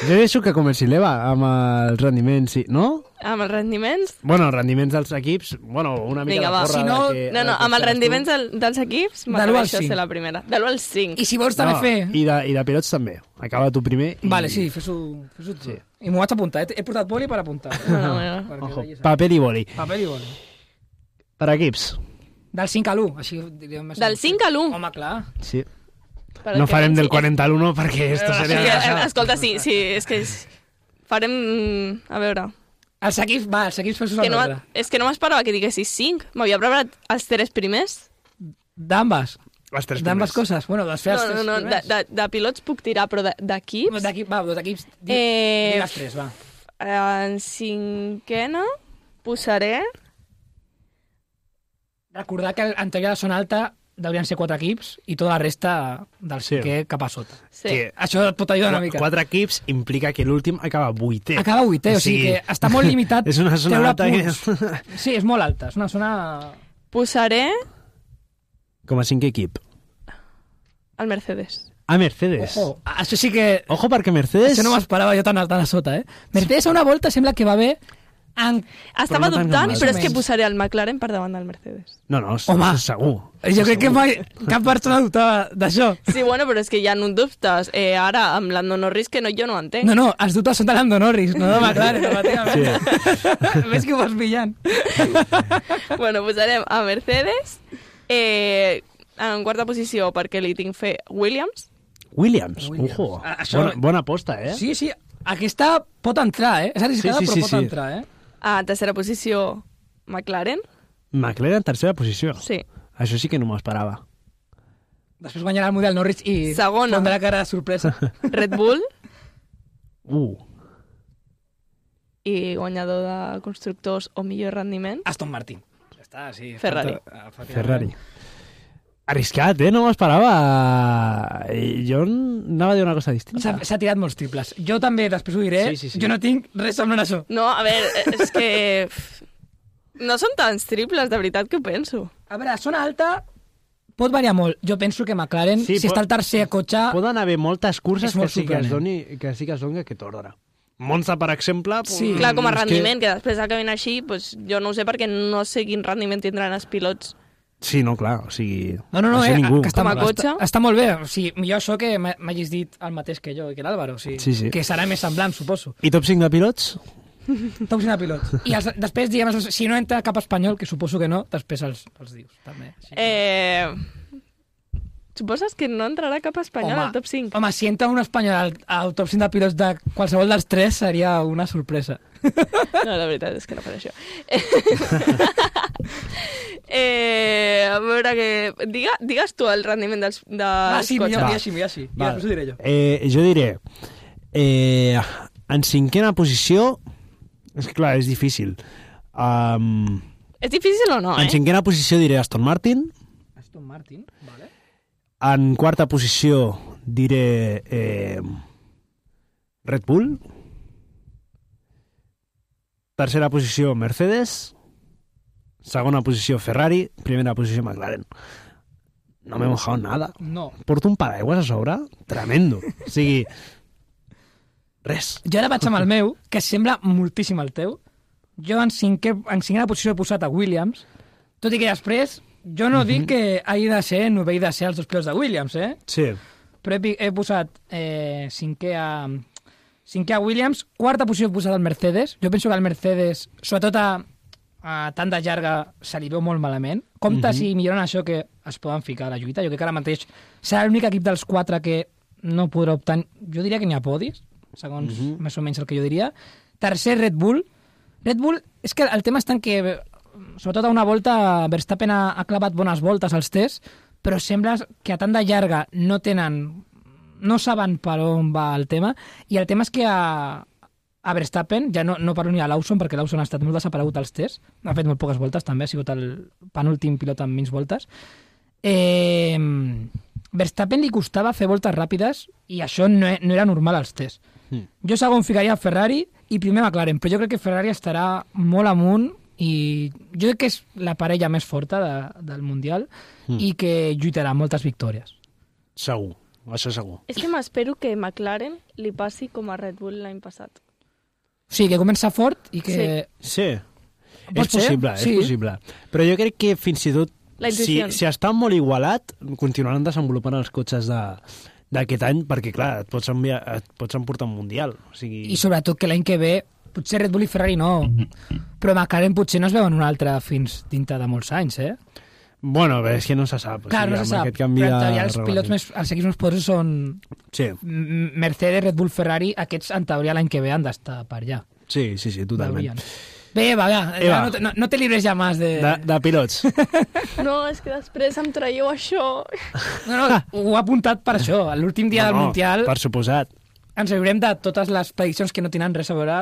Jo deixo que comenci l'Eva amb els rendiments, sí. No? Amb els rendiments? Bueno, els rendiments dels equips, bueno, una mica Vinga, de porra... si no, de que, no, no, amb els rendiments del, dels equips m'atreveixo a ser la primera. De l'u al cinc. I si vols també no, fer... I de, I de pilots també. Acaba tu primer. I... Vale, sí, fes-ho fes tu. Sí. I m'ho vaig apuntar. He, he portat boli per apuntar. No, no, no. Ojo, paper i boli. Paper i boli. Per equips. Del cinc a l'u. Així, diríem, del cinc a l'u? Home, clar. Sí. Per no farem del quaranta a l'u perquè esto seria... Sí, escolta, sí, sí, és que és... farem... A veure... Els equips, va, els equips fes-ho no, és que no m'esperava que diguessis cinc. M'havia preparat els tres primers. D'ambes? Les tres D'ambes coses? Bueno, les fer els no, tres no, no, primers. de, de, de pilots puc tirar, però d'equips... D'equip, va, d'equips, di, eh, di les tres, va. En cinquena posaré... Recordar que en teoria de zona alta deurien ser quatre equips i tota la resta del cinquè sí. cap a sota. Sí. Que això et pot ajudar una mica. Quatre equips implica que l'últim acaba vuitè. Acaba vuitè, o sigui, o sigui que està molt limitat. És una zona alta. Que... Sí, és molt alta, és una zona... Posaré... Com a cinquè equip. El Mercedes. Ah, Mercedes. Ojo, això sí que... Ojo, perquè Mercedes... Això no m'esperava jo tan a, tan a sota, eh? Mercedes a una volta sembla que va bé... En... Estava no dubtant, però és que posaré el McLaren per davant del Mercedes. No, no, home, segur. Jo crec que mai cap persona dubtava d'això. Sí, bueno, però és que hi ha un dubtes. Eh, ara, amb Lando Norris, que no, jo no ho entenc. No, no, els dubtes són de Lando Norris, no de McLaren, relativament. Sí. Ves que ho vas pillant. Bueno, posarem a Mercedes. Eh, en quarta posició, perquè li tinc fe Williams. Williams, Williams. ojo. Això... Bona, bona aposta, eh? Sí, sí, aquesta pot entrar, eh? És arriscada, sí, sí, però sí, pot sí. entrar, eh? A tercera posició, McLaren. McLaren en tercera posició? Sí. Això sí que no m'ho esperava. Després guanyarà el model Norris i segona. Pondrà cara de sorpresa. Red Bull. Uh. I guanyador de constructors o millor rendiment. Aston Martin. Ja està, sí. Ferrari. Falta... Ferrari. Arriscat, eh? No m'ho esperava. Jo anava a dir una cosa distinta. S'ha tirat molts triples. Jo també, després ho diré, sí, sí, sí. jo no tinc res semblant a això. No, a veure, és que... No són tants triples, de veritat, que ho penso. A veure, zona alta pot variar molt. Jo penso que McLaren, sí, si pot, està el tercer cotxe... Poden haver moltes curses que sí que, es doni, que sí que es doni aquest ordre. Monza, per exemple... Sí. Clar, com a rendiment, que... que després acabin així, doncs, jo no ho sé perquè no sé quin rendiment tindran els pilots. Sí, no, clar, o sigui... No, no, no, eh, ningú. que està, com a cotxe. Està, està molt bé. O sigui, millor això que m'hagis dit el mateix que jo i que l'Àlvaro. O sigui, sí, sí. Que serà més semblant, suposo. I top cinc de pilots? Top cinc de pilots. I els, després, diguem, si no entra cap espanyol, que suposo que no, després els, els dius, també. Sí. Eh... Suposes que no entrarà cap espanyol home, al top cinc? Home, si entra un espanyol al, al top cinc de pilots de qualsevol dels tres seria una sorpresa. No, la veritat és que no faré això. eh, a veure que... Diga, digues tu el rendiment dels, dels ah, sí, cotxes. Millor, sí, millor, sí. I després ho diré jo. Eh, jo diré... Eh, en cinquena posició... És que clar, és difícil. Um, és difícil o no, en eh? En cinquena posició diré Aston Martin. Aston Martin, vale. En quarta posició diré eh, Red Bull. Tercera posició Mercedes. Segona posició Ferrari. Primera posició McLaren. No m'he mojado nada. No. Porto un paraigües a sobre tremendo. O sigui, res. Jo ara vaig amb el meu, que sembla moltíssim el teu. Jo en, cinquè, en cinquena posició he posat a Williams, tot i que després jo no uh-huh. dic que hagi de ser novell de ser els dos pilots de Williams, eh? Sí. Però he, he posat eh, cinquè, a, cinquè a Williams, quarta posició he posat al Mercedes. Jo penso que el Mercedes, sobretot a, a tant de llarga, se li veu molt malament. Compte uh-huh. si milloren això que es poden ficar a la lluita. Jo crec que ara mateix serà l'únic equip dels quatre que no podrà optar... Jo diria que n'hi ha podis, segons uh-huh. més o menys el que jo diria. Tercer, Red Bull. Red Bull, és que el tema està en que, sobretot a una volta, Verstappen ha, ha clavat bones voltes als tests, però sembla que a tant de llarga no tenen... no saben per on va el tema, i el tema és que a, a Verstappen, ja no, no parlo ni a Lawson, perquè Lawson ha estat molt desaparegut als tests, ha fet molt poques voltes també, ha sigut el penúltim pilot amb menys voltes. Eh, Verstappen li costava fer voltes ràpides i això no, no era normal als tests. Mm. Jo segon ficaria a Ferrari i primer McLaren, però jo crec que Ferrari estarà molt amunt i jo crec que és la parella més forta de, del Mundial mm. i que lluitarà moltes victòries. Segur, això segur. És que m'espero que McLaren li passi com a Red Bull l'any passat. Sí, que comença fort i que... Sí, sí. Pot és possible, ser? és Sí. possible. Però jo crec que fins i tot, si, intuïció. si està molt igualat, continuaran desenvolupant els cotxes de d'aquest any, perquè, clar, et pots, enviar, et pots emportar un Mundial. O sigui... I sobretot que l'any que ve, potser Red Bull i Ferrari no, però McLaren potser no es veuen un altre fins dintre de molts anys, eh? Bueno, bé, és que no se sap. Clar, o sigui, no se sap, aquest canvi però en de teoria els reglament. pilots més, els equips més poderosos són Sí. M- Mercedes, Red Bull, Ferrari, aquests en teoria l'any que ve han d'estar per allà. Sí, sí, sí, totalment. Veurien. Bé, va, va, Eva. no, te- no, no te libres ja més de... De, de pilots. No, és que després em traieu això. No, no, ho he apuntat per això. A l'últim dia No, del no, Mundial per suposat. ens riurem de totes les prediccions que no tenen res a veure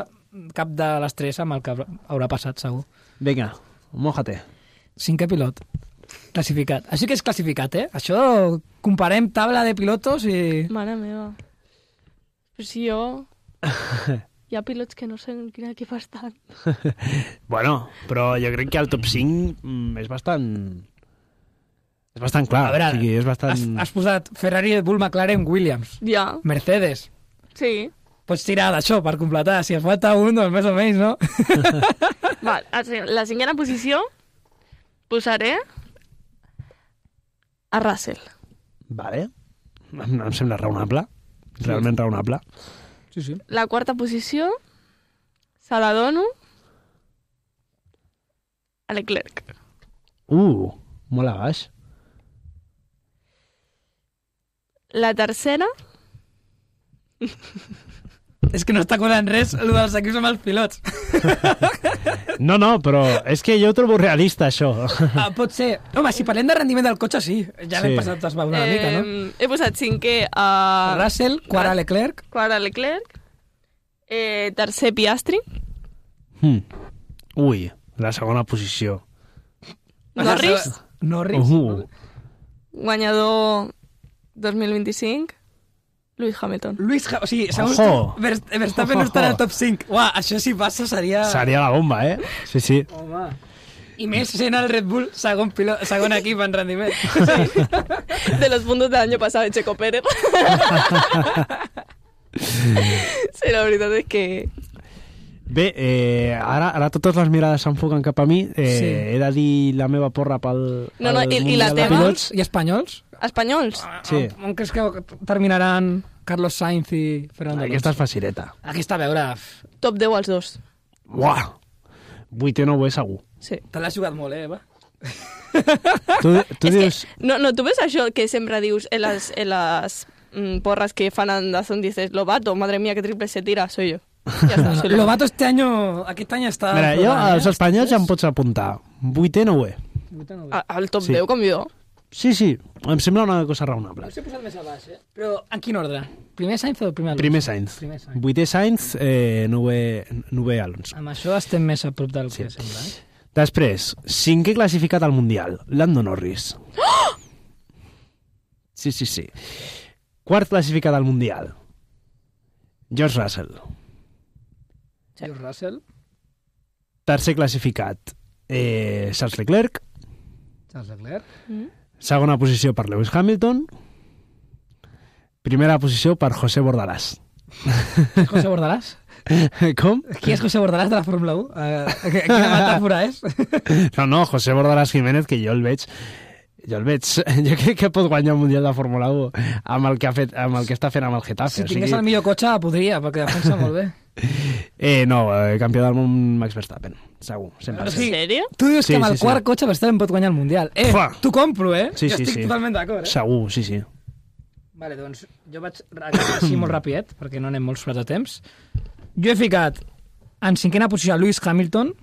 cap de les tres amb el que haurà passat, segur. Vinga, mójate. Cinquè pilot. Classificat. Així que és classificat, eh? Això comparem taula de pilotos i... Mare meva. Però si jo... Hi ha pilots que no sé en quin equip estan. Bueno, però jo crec que el top cinc mm, és bastant... És bastant clar. A veure, o sigui, és bastant... has, has posat Ferrari, Red Bull, McLaren, Williams. Ja. Mercedes. Sí. Pots tirar d'això per completar. Si et falta un, doncs més o menys, no? Val, la cinquena posició posaré a Russell. Vale. Em, em sembla raonable. Realment raonable. Sí, sí. La quarta posició se la dono a Leclerc. Uh, molt a baix. La tercera... És que no està colant res el dels equips amb els pilots. No, no, però és que jo ho trobo realista, això. Ah, pot ser. Home, si parlem de rendiment del cotxe, sí. Ja l'hem Sí. passat es va una eh, mica, no? He posat cinquè a... Russell, quart a Leclerc. Quart a Leclerc. Eh, tercer Piastri. Hmm. Ui, la segona posició. Norris. Norris. Uh. Guanyador dos mil vint-i-cinc. Lewis Hamilton. Lewis Hamilton. O sigui, segons Ojo. tu, Verst- Verstappen no estarà al top cinc. Uah, això si passa seria... Seria la bomba, eh? Sí, sí. Home. I més sent el Red Bull segon, pilot, segon equip en rendiment. De los puntos del año pasado de Checo Pérez. Sí, la veritat és que... Bé, eh, ara, ara totes les mirades s'enfoquen cap a mi. Eh, Sí. He de dir la meva porra pel... No, no, pel i- i la Mundial de teva? Pilots. I espanyols? Espanyols. Sí. On creus que terminaran Carlos Sainz i Fernando Alonso? Aquesta és facileta. Aquesta, a veure, Top deu als dos. Uah! Vuitè no ho és segur. Sí. te l'has jugat molt, eh, Eva? Tu, tu És dius... que, no, no, tu ves això que sempre dius en les, en les mm, porras que fan en Dazón, dices, Lobato, madre mía, que triple se tira, soy yo. Ja està, soy Lobato este año, aquest any està... Mira, jo provant, als eh? espanyols ja em pots apuntar. Vuitè no ho és. A- Al top Sí. deu, com jo. Sí, sí, em sembla una cosa raonable. Jo us he posat més a baix, eh? Però en quin ordre? Primer Sainz o primer Alonso? Primer Sainz. Primer Sainz. Vuitè Sainz, eh, novè, novè Alonso. Amb això estem més a prop del que sembla, eh? Després, cinquè classificat al Mundial, Lando Norris. Sí, sí, sí. Quart classificat al Mundial, George Russell. George Russell, Tercer classificat, eh, Charles Leclerc. Charles Leclerc. Segona posició per Lewis Hamilton. Primera posició per José Bordalás. José Bordalás? Com? Qui és José Bordalás de la Fórmula u? Uh, quina metàfora és? No, no, José Bordalás Jiménez, que jo el veig... Jo el veig... Jo crec que pot guanyar el Mundial de Fórmula u amb el que, ha fet, amb el que està fent amb el Getafe. Si tingués el millor cotxe, podria, perquè defensa molt bé. Eh, no, eh, campió del món Max Verstappen, segur, cent per En cent. sèrio? Tu dius Sí, que amb el sí, sí. quart cotxe Verstappen pot guanyar el Mundial. Eh, Fua. t'ho compro, eh? Sí, jo sí, estic sí. totalment d'acord, eh? Segur, sí, sí. Vale, doncs jo vaig acabar així molt rapidet, perquè no anem molt sobrats de temps. Jo he ficat en cinquena posició a Lewis Hamilton.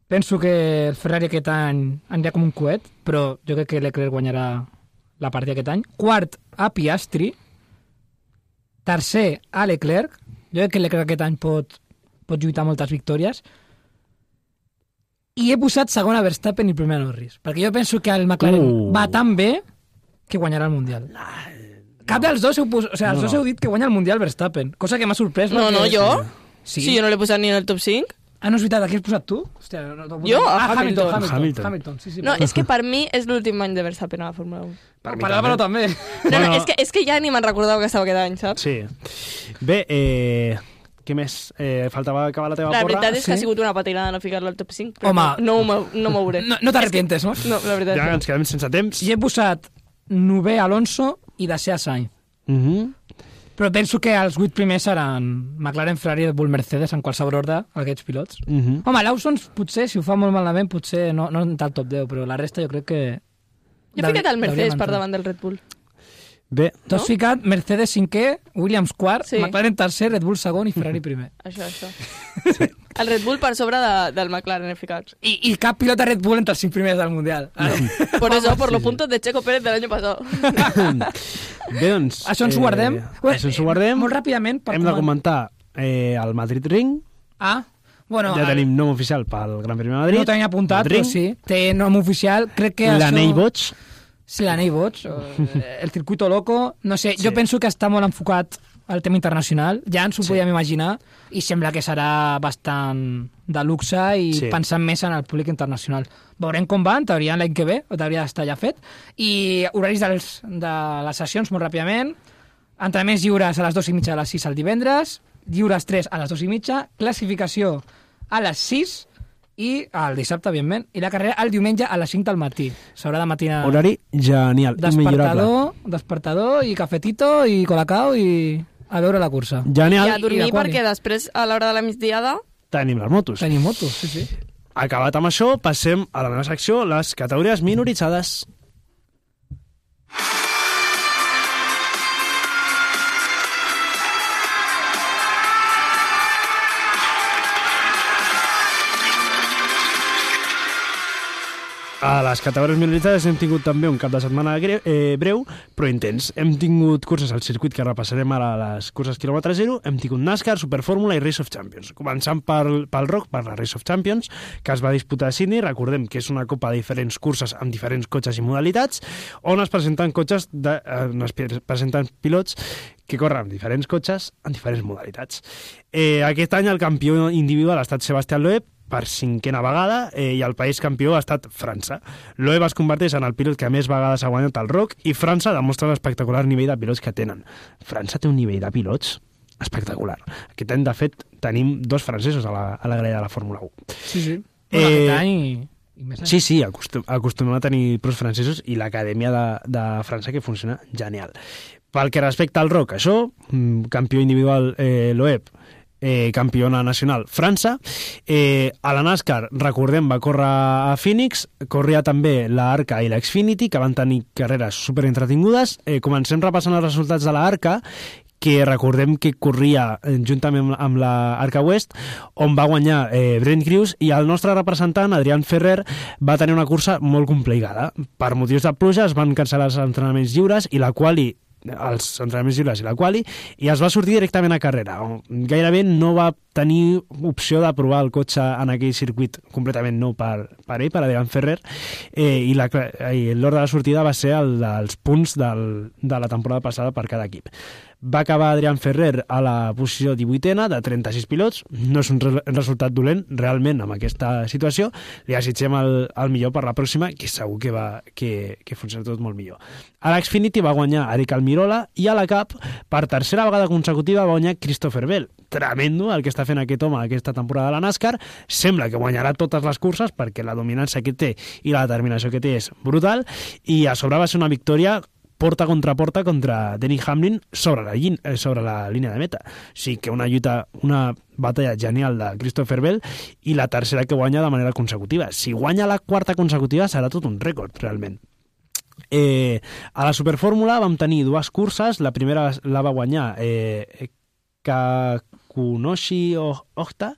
Penso que el Ferrari aquest any anirà com un coet, però jo crec que Leclerc guanyarà la partida aquest any. Quart, a Piastri. Tercer, a Leclerc. Jo crec que Leclerc aquest any pot, pot lluitar moltes victòries. I he posat segon a Verstappen i primer a Norris, perquè jo penso que el McLaren Uh. va tan bé que guanyarà el Mundial. Cap dels dos heu, pos... o sigui, els No, dos no. heu dit que guanya el Mundial Verstappen, cosa que m'ha sorprès. No, perquè- no, jo? Sí, sí jo no l'he posat ni en el top cinc. Ah, no és veritat, aquí has posat tu? Hòstia, no, no, jo? Ah, Hamilton. Hamilton. Hamilton. Hamilton. Sí, sí, no, és que per mi és l'últim any de Verstappen a la Fórmula un. Per, per Álvaro també. No, no, és que, és que ja ni me'n recordava que estava aquest any, saps? Sí. Bé, eh... Què més? Eh, faltava acabar la teva la porra? La veritat és que sí? ha sigut una patinada no ficar-la al top cinc. Però Home, no, no, no m'hauré. No, no t'arrepientes, no? No, la veritat. Ja ens quedem sense temps. Jo he posat novè Alonso i desè a Sainz. Uh -huh. Però penso que els vuit primers seran McLaren, Ferrari, Red Bull, Mercedes, en qualsevol ordre, aquests pilots. Uh -huh. Home, Lawson, potser, si ho fa molt malament, potser no, no entra al top deu, però la resta jo crec que... Jo he ficat el Mercedes per davant del Red Bull. Bé. Tu has no? ficat Mercedes cinquè, Williams quart, sí. McLaren tercer, Red Bull segon i Ferrari primer. Això, això. Sí. El Red Bull per sobre de, del McLaren he ficat. I, I cap pilot de Red Bull entre els cinc primers del Mundial. No. Por eso, por sí, los puntos de Checo Pérez del año pasado. Bé, doncs... Això ens ho guardem. Eh, això ens ho guardem. Molt ràpidament. Per Hem de comentar eh, el Madrid Ring. Ah, bueno... Ja tenim nom oficial pel Gran Premi de Madrid. No ho tenia apuntat, però sí. Té nom oficial. Crec que això... L'anell boig. Sí, l'anell boig, el circuito loco, no sé, sí. Jo penso que està molt enfocat al tema internacional, ja ens ho sí. podíem imaginar, i sembla que serà bastant de luxe i sí. pensant més en el públic internacional. Veurem com va, en teoria l'any que ve, o hauria d'estar ja fet, i horaris dels, de les sessions molt ràpidament, entrenaments lliures a les dues i mitja a les sis el divendres, lliures tres a les dues i mitja, classificació a les sis, i el dissabte, evidentment, i la carrera el diumenge a les cinc del matí. S'haurà de matinar... Horari genial, despertador, despertador i cafetito i colacao i a veure la cursa. Genial. I a dormir I perquè després, a l'hora de la migdiada... Tenim les motos. Tenim motos, sí, sí. Acabat amb això, passem a la meva secció, les categories minoritzades. A les categories minoritzades hem tingut també un cap de setmana greu, eh, breu, però intens. Hem tingut curses al circuit que repassarem ara, les curses quilòmetre zero, hem tingut NASCAR, Superfórmula i Race of Champions. Començant pel, pel R O C, per la Race of Champions, que es va disputar a Sydney. Recordem que és una copa de diferents curses amb diferents cotxes i modalitats, on es presenten cotxes de, eh, on es presenten pilots que corren amb diferents cotxes en diferents modalitats. Eh, aquest any el campió individual ha estat Sebastián Loeb, per cinquena vegada, eh, i el país campió ha estat França. Loeb es converteix en el pilot que més vegades ha guanyat el R O C i França demostra l'espectacular nivell de pilots que tenen. França té un nivell de pilots espectacular. Aquest any, de fet, tenim dos francesos a la, a la grella de la Fórmula un. Sí, sí. Bueno, eh, aquest any... I més sí, sí, acostum, acostumem a tenir pros francesos i l'acadèmia de, de França que funciona genial. Pel que respecta al R O C, això, campió individual eh, Loeb, Eh, campiona nacional França. Eh, a la NASCAR, recordem, va córrer a Phoenix, corria també la Arca i la Xfinity, que van tenir carreres superentretingudes. Eh, comencem repassant els resultats de la Arca, que recordem que corria juntament amb la Arca West, on va guanyar eh, Brent Crews, i el nostre representant, Adrián Ferrer, va tenir una cursa molt complicada. Per motius de pluja es van cancel·lar els entrenaments lliures i la quali els entrenaments lliures i la quali, i es va sortir directament a carrera. Gairebé no va tenir opció de provar el cotxe en aquell circuit completament nou per, per ell, per Adrián Ferrer, eh, i l'ordre de sortida va ser el dels punts del, de la temporada passada per cada equip. Va acabar Adrián Ferrer a la posició divuitena de trenta-sis pilots. No és un re resultat dolent, realment, amb aquesta situació. Li desitgem el, el millor per la pròxima, que segur que, va, que, que funciona tot molt millor. A l'Xfinity va guanyar Eric Almirola, i a la Cup, per tercera vegada consecutiva, va guanyar Christopher Bell. Tremendo el que està fent aquest home aquesta temporada de la NASCAR. Sembla que guanyarà totes les curses, perquè la dominància que té i la determinació que té és brutal, i a sobre va ser una victòria porta contra porta contra Denny Hamlin sobre la, sobre la línia de meta. O sigui que una lluita, una batalla genial de Christopher Bell, i la tercera que guanya de manera consecutiva. Si guanya la quarta consecutiva serà tot un rècord, realment. Eh, a la Superfórmula vam tenir dues curses. La primera la va guanyar eh, Kakunoshi Ohta,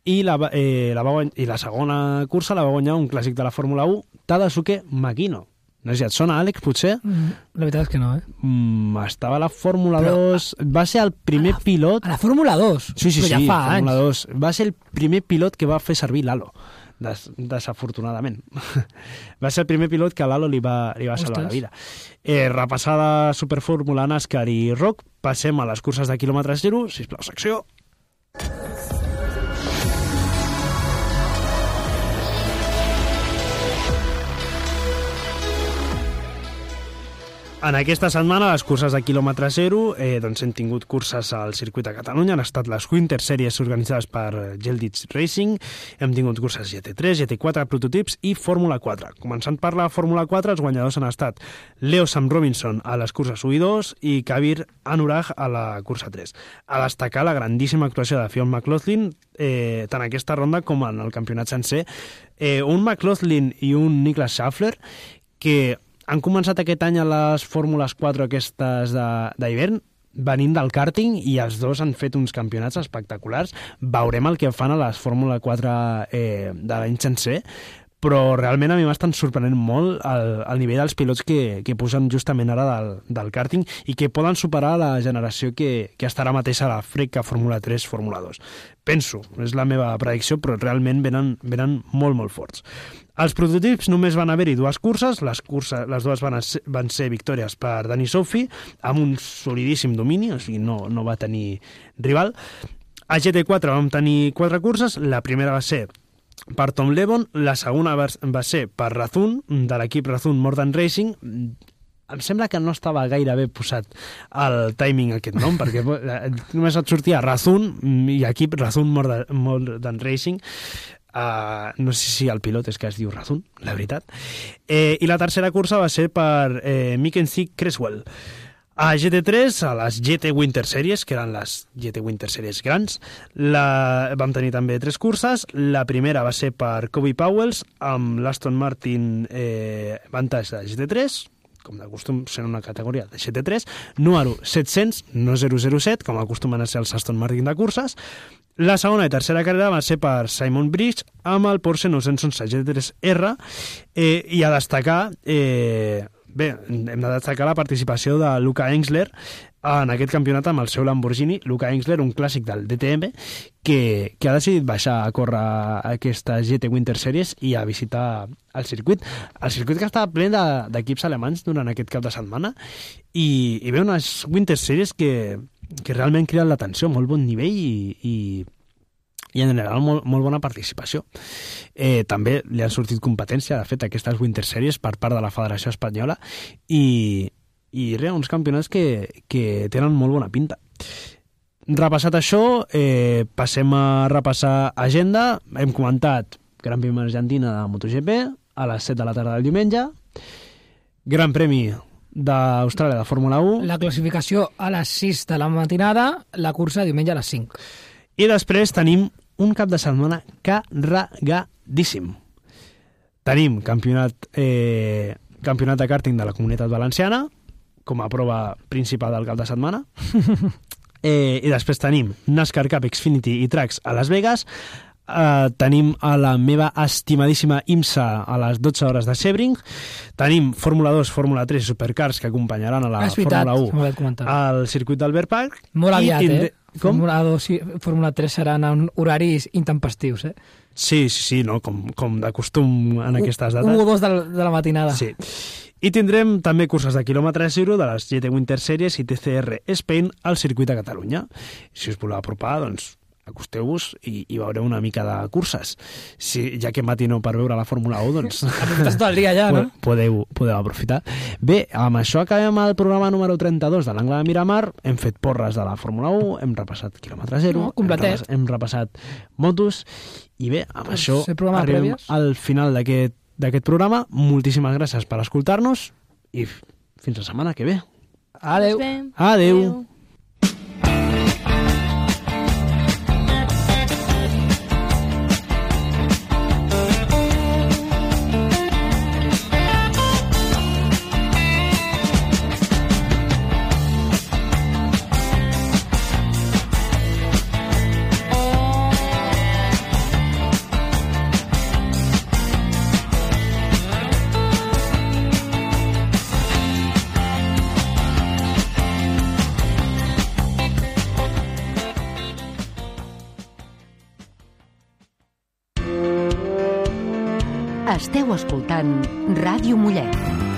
i la, eh, la, va, i la segona cursa la va guanyar un clàssic de la Fórmula un, Tadasuke Makino. No sé si et sona, Àlex, potser? Mm, la veritat és que no, eh? Mm, estava a la Fórmula Però, dos... Va ser el primer a la, pilot... A la Fórmula dos? Sí, sí, Però sí, ja fa Fórmula anys. dos. Va ser el primer pilot que va fer servir l'Halo, des, desafortunadament. Va ser el primer pilot que l'Halo li va, li va salvar la vida. Eh, repassada Superfórmula, NASCAR i R O C, passem a les curses de quilòmetre zero. Sisplau, secció. En aquesta setmana, les curses de quilòmetre zero, eh, doncs hem tingut curses al circuit de Catalunya, han estat les Winter Series organitzades per Geldits Racing, hem tingut curses G T tres, G T quatre, prototips i Fórmula quatre. Començant per la Fórmula quatre, els guanyadors han estat Leo Sam Robinson a les curses u i dos i Kabir Anurag a la cursa tres. A destacar la grandíssima actuació de Fionn McLaughlin, eh, tant aquesta ronda com en el campionat sencer. Eh, un McLaughlin i un Niklas Schaffler que han començat aquest any a les Fórmules quatre aquestes d'hivern, venint del karting, i els dos han fet uns campionats espectaculars. Veurem el que fan a les Fórmula quatre eh, de l'any sencer, però realment a mi m'estan sorprenent molt el, el nivell dels pilots que, que posen justament ara del, del karting i que poden superar la generació que, que estarà mateix a la Freca Fórmula tres, Fórmula dos. Penso, és la meva predicció, però realment venen, venen molt, molt forts. Els prototips només van haver-hi dues curses, les, curses, les dues van ser, van ser victòries per Dani Soffi, amb un solidíssim domini, o sigui, no, no va tenir rival. A G T quatre vam tenir quatre curses, la primera va ser per Tom Levon, la segona va, va ser per Razun, de l'equip Razun Modern Racing. Em sembla que no estava gaire bé posat el timing aquest nom, perquè només et sortia Razun i equip Razun Modern, Modern Racing. Uh, no sé si el pilot és que es diu Razun, la veritat. Eh, I la tercera cursa va ser per eh, Mackenzie Creswell. A G T tres, a les G T Winter Series, que eren les G T Winter Series grans, la... vam tenir també tres curses. La primera va ser per Kobe Powells, amb l'Aston Martin eh, Vantage de G T tres, com de costum sent una categoria de G T tres, número set-cents, no zero zero set, com acostumen a ser els Aston Martin de curses. La segona i tercera carrera va ser per Simon Bridge amb el Porsche nou-cents onze G T tres R, eh, i a destacar, eh, bé, hem de destacar la participació de Luca Engsler en aquest campionat amb el seu Lamborghini. Luca Engsler, un clàssic del D T M, que, que ha decidit baixar a córrer aquesta G T Winter Series i a visitar el circuit. El circuit que estava ple d'equips alemanys durant aquest cap de setmana, i, i ve unes Winter Series que, que realment criden l'atenció, molt bon nivell i, i, i en general molt, molt bona participació. Eh, també li han sortit competència, de fet, aquestes Winter Series per part de la Federació Espanyola, i, i res, uns campionats que, que tenen molt bona pinta. Repassat això, eh, passem a repassar agenda. Hem comentat Gran Premi Argentina de MotoGP a les set de la tarda del diumenge, Gran Premi d'Austràlia de Fórmula u, la classificació a les sis de la matinada, la cursa diumenge a les cinc. I després tenim un cap de setmana carregadíssim. Tenim campionat, eh, campionat de karting de la Comunitat Valenciana com a prova principal del cap de setmana. eh, I després tenim NASCAR Cup Xfinity i Tracks a Las Vegas. Uh, tenim a la meva estimadíssima IMSA a les dotze hores de Sebring. Tenim Fórmula dos, Fórmula tres i Supercars que acompanyaran a la ah, veritat, Fórmula u al circuit d'Albert Park. Molt aviat, tindre... eh? Com? Fórmula dos i Fórmula tres seran en horaris intempestius, eh? Sí, sí, sí, no? com, com de costum en aquestes dates. un o dos de la, de la matinada. Sí. I tindrem també curses de quilòmetre zero de les G T Winter Series i T C R Spain al circuit de Catalunya. Si us voleu apropar, doncs acosteu-vos i, i veureu una mica de curses. Si, ja que matineu per veure la Fórmula u, doncs... Aprofites tot el dia ja, no? Podeu, podeu aprofitar. Bé, amb això acabem el programa número trenta-dos de l'Angle de Miramar. Hem fet porres de la Fórmula u, hem repassat quilòmetre zero, no, hem, repassat, hem repassat motos, i bé, amb pues això arribem prèvies. al final d'aquest d'aquest programa. Moltíssimes gràcies per escoltar-nos i fins la setmana que ve. Adeu. Adeu. Adeu. Esteu escoltant Ràdio Mollet.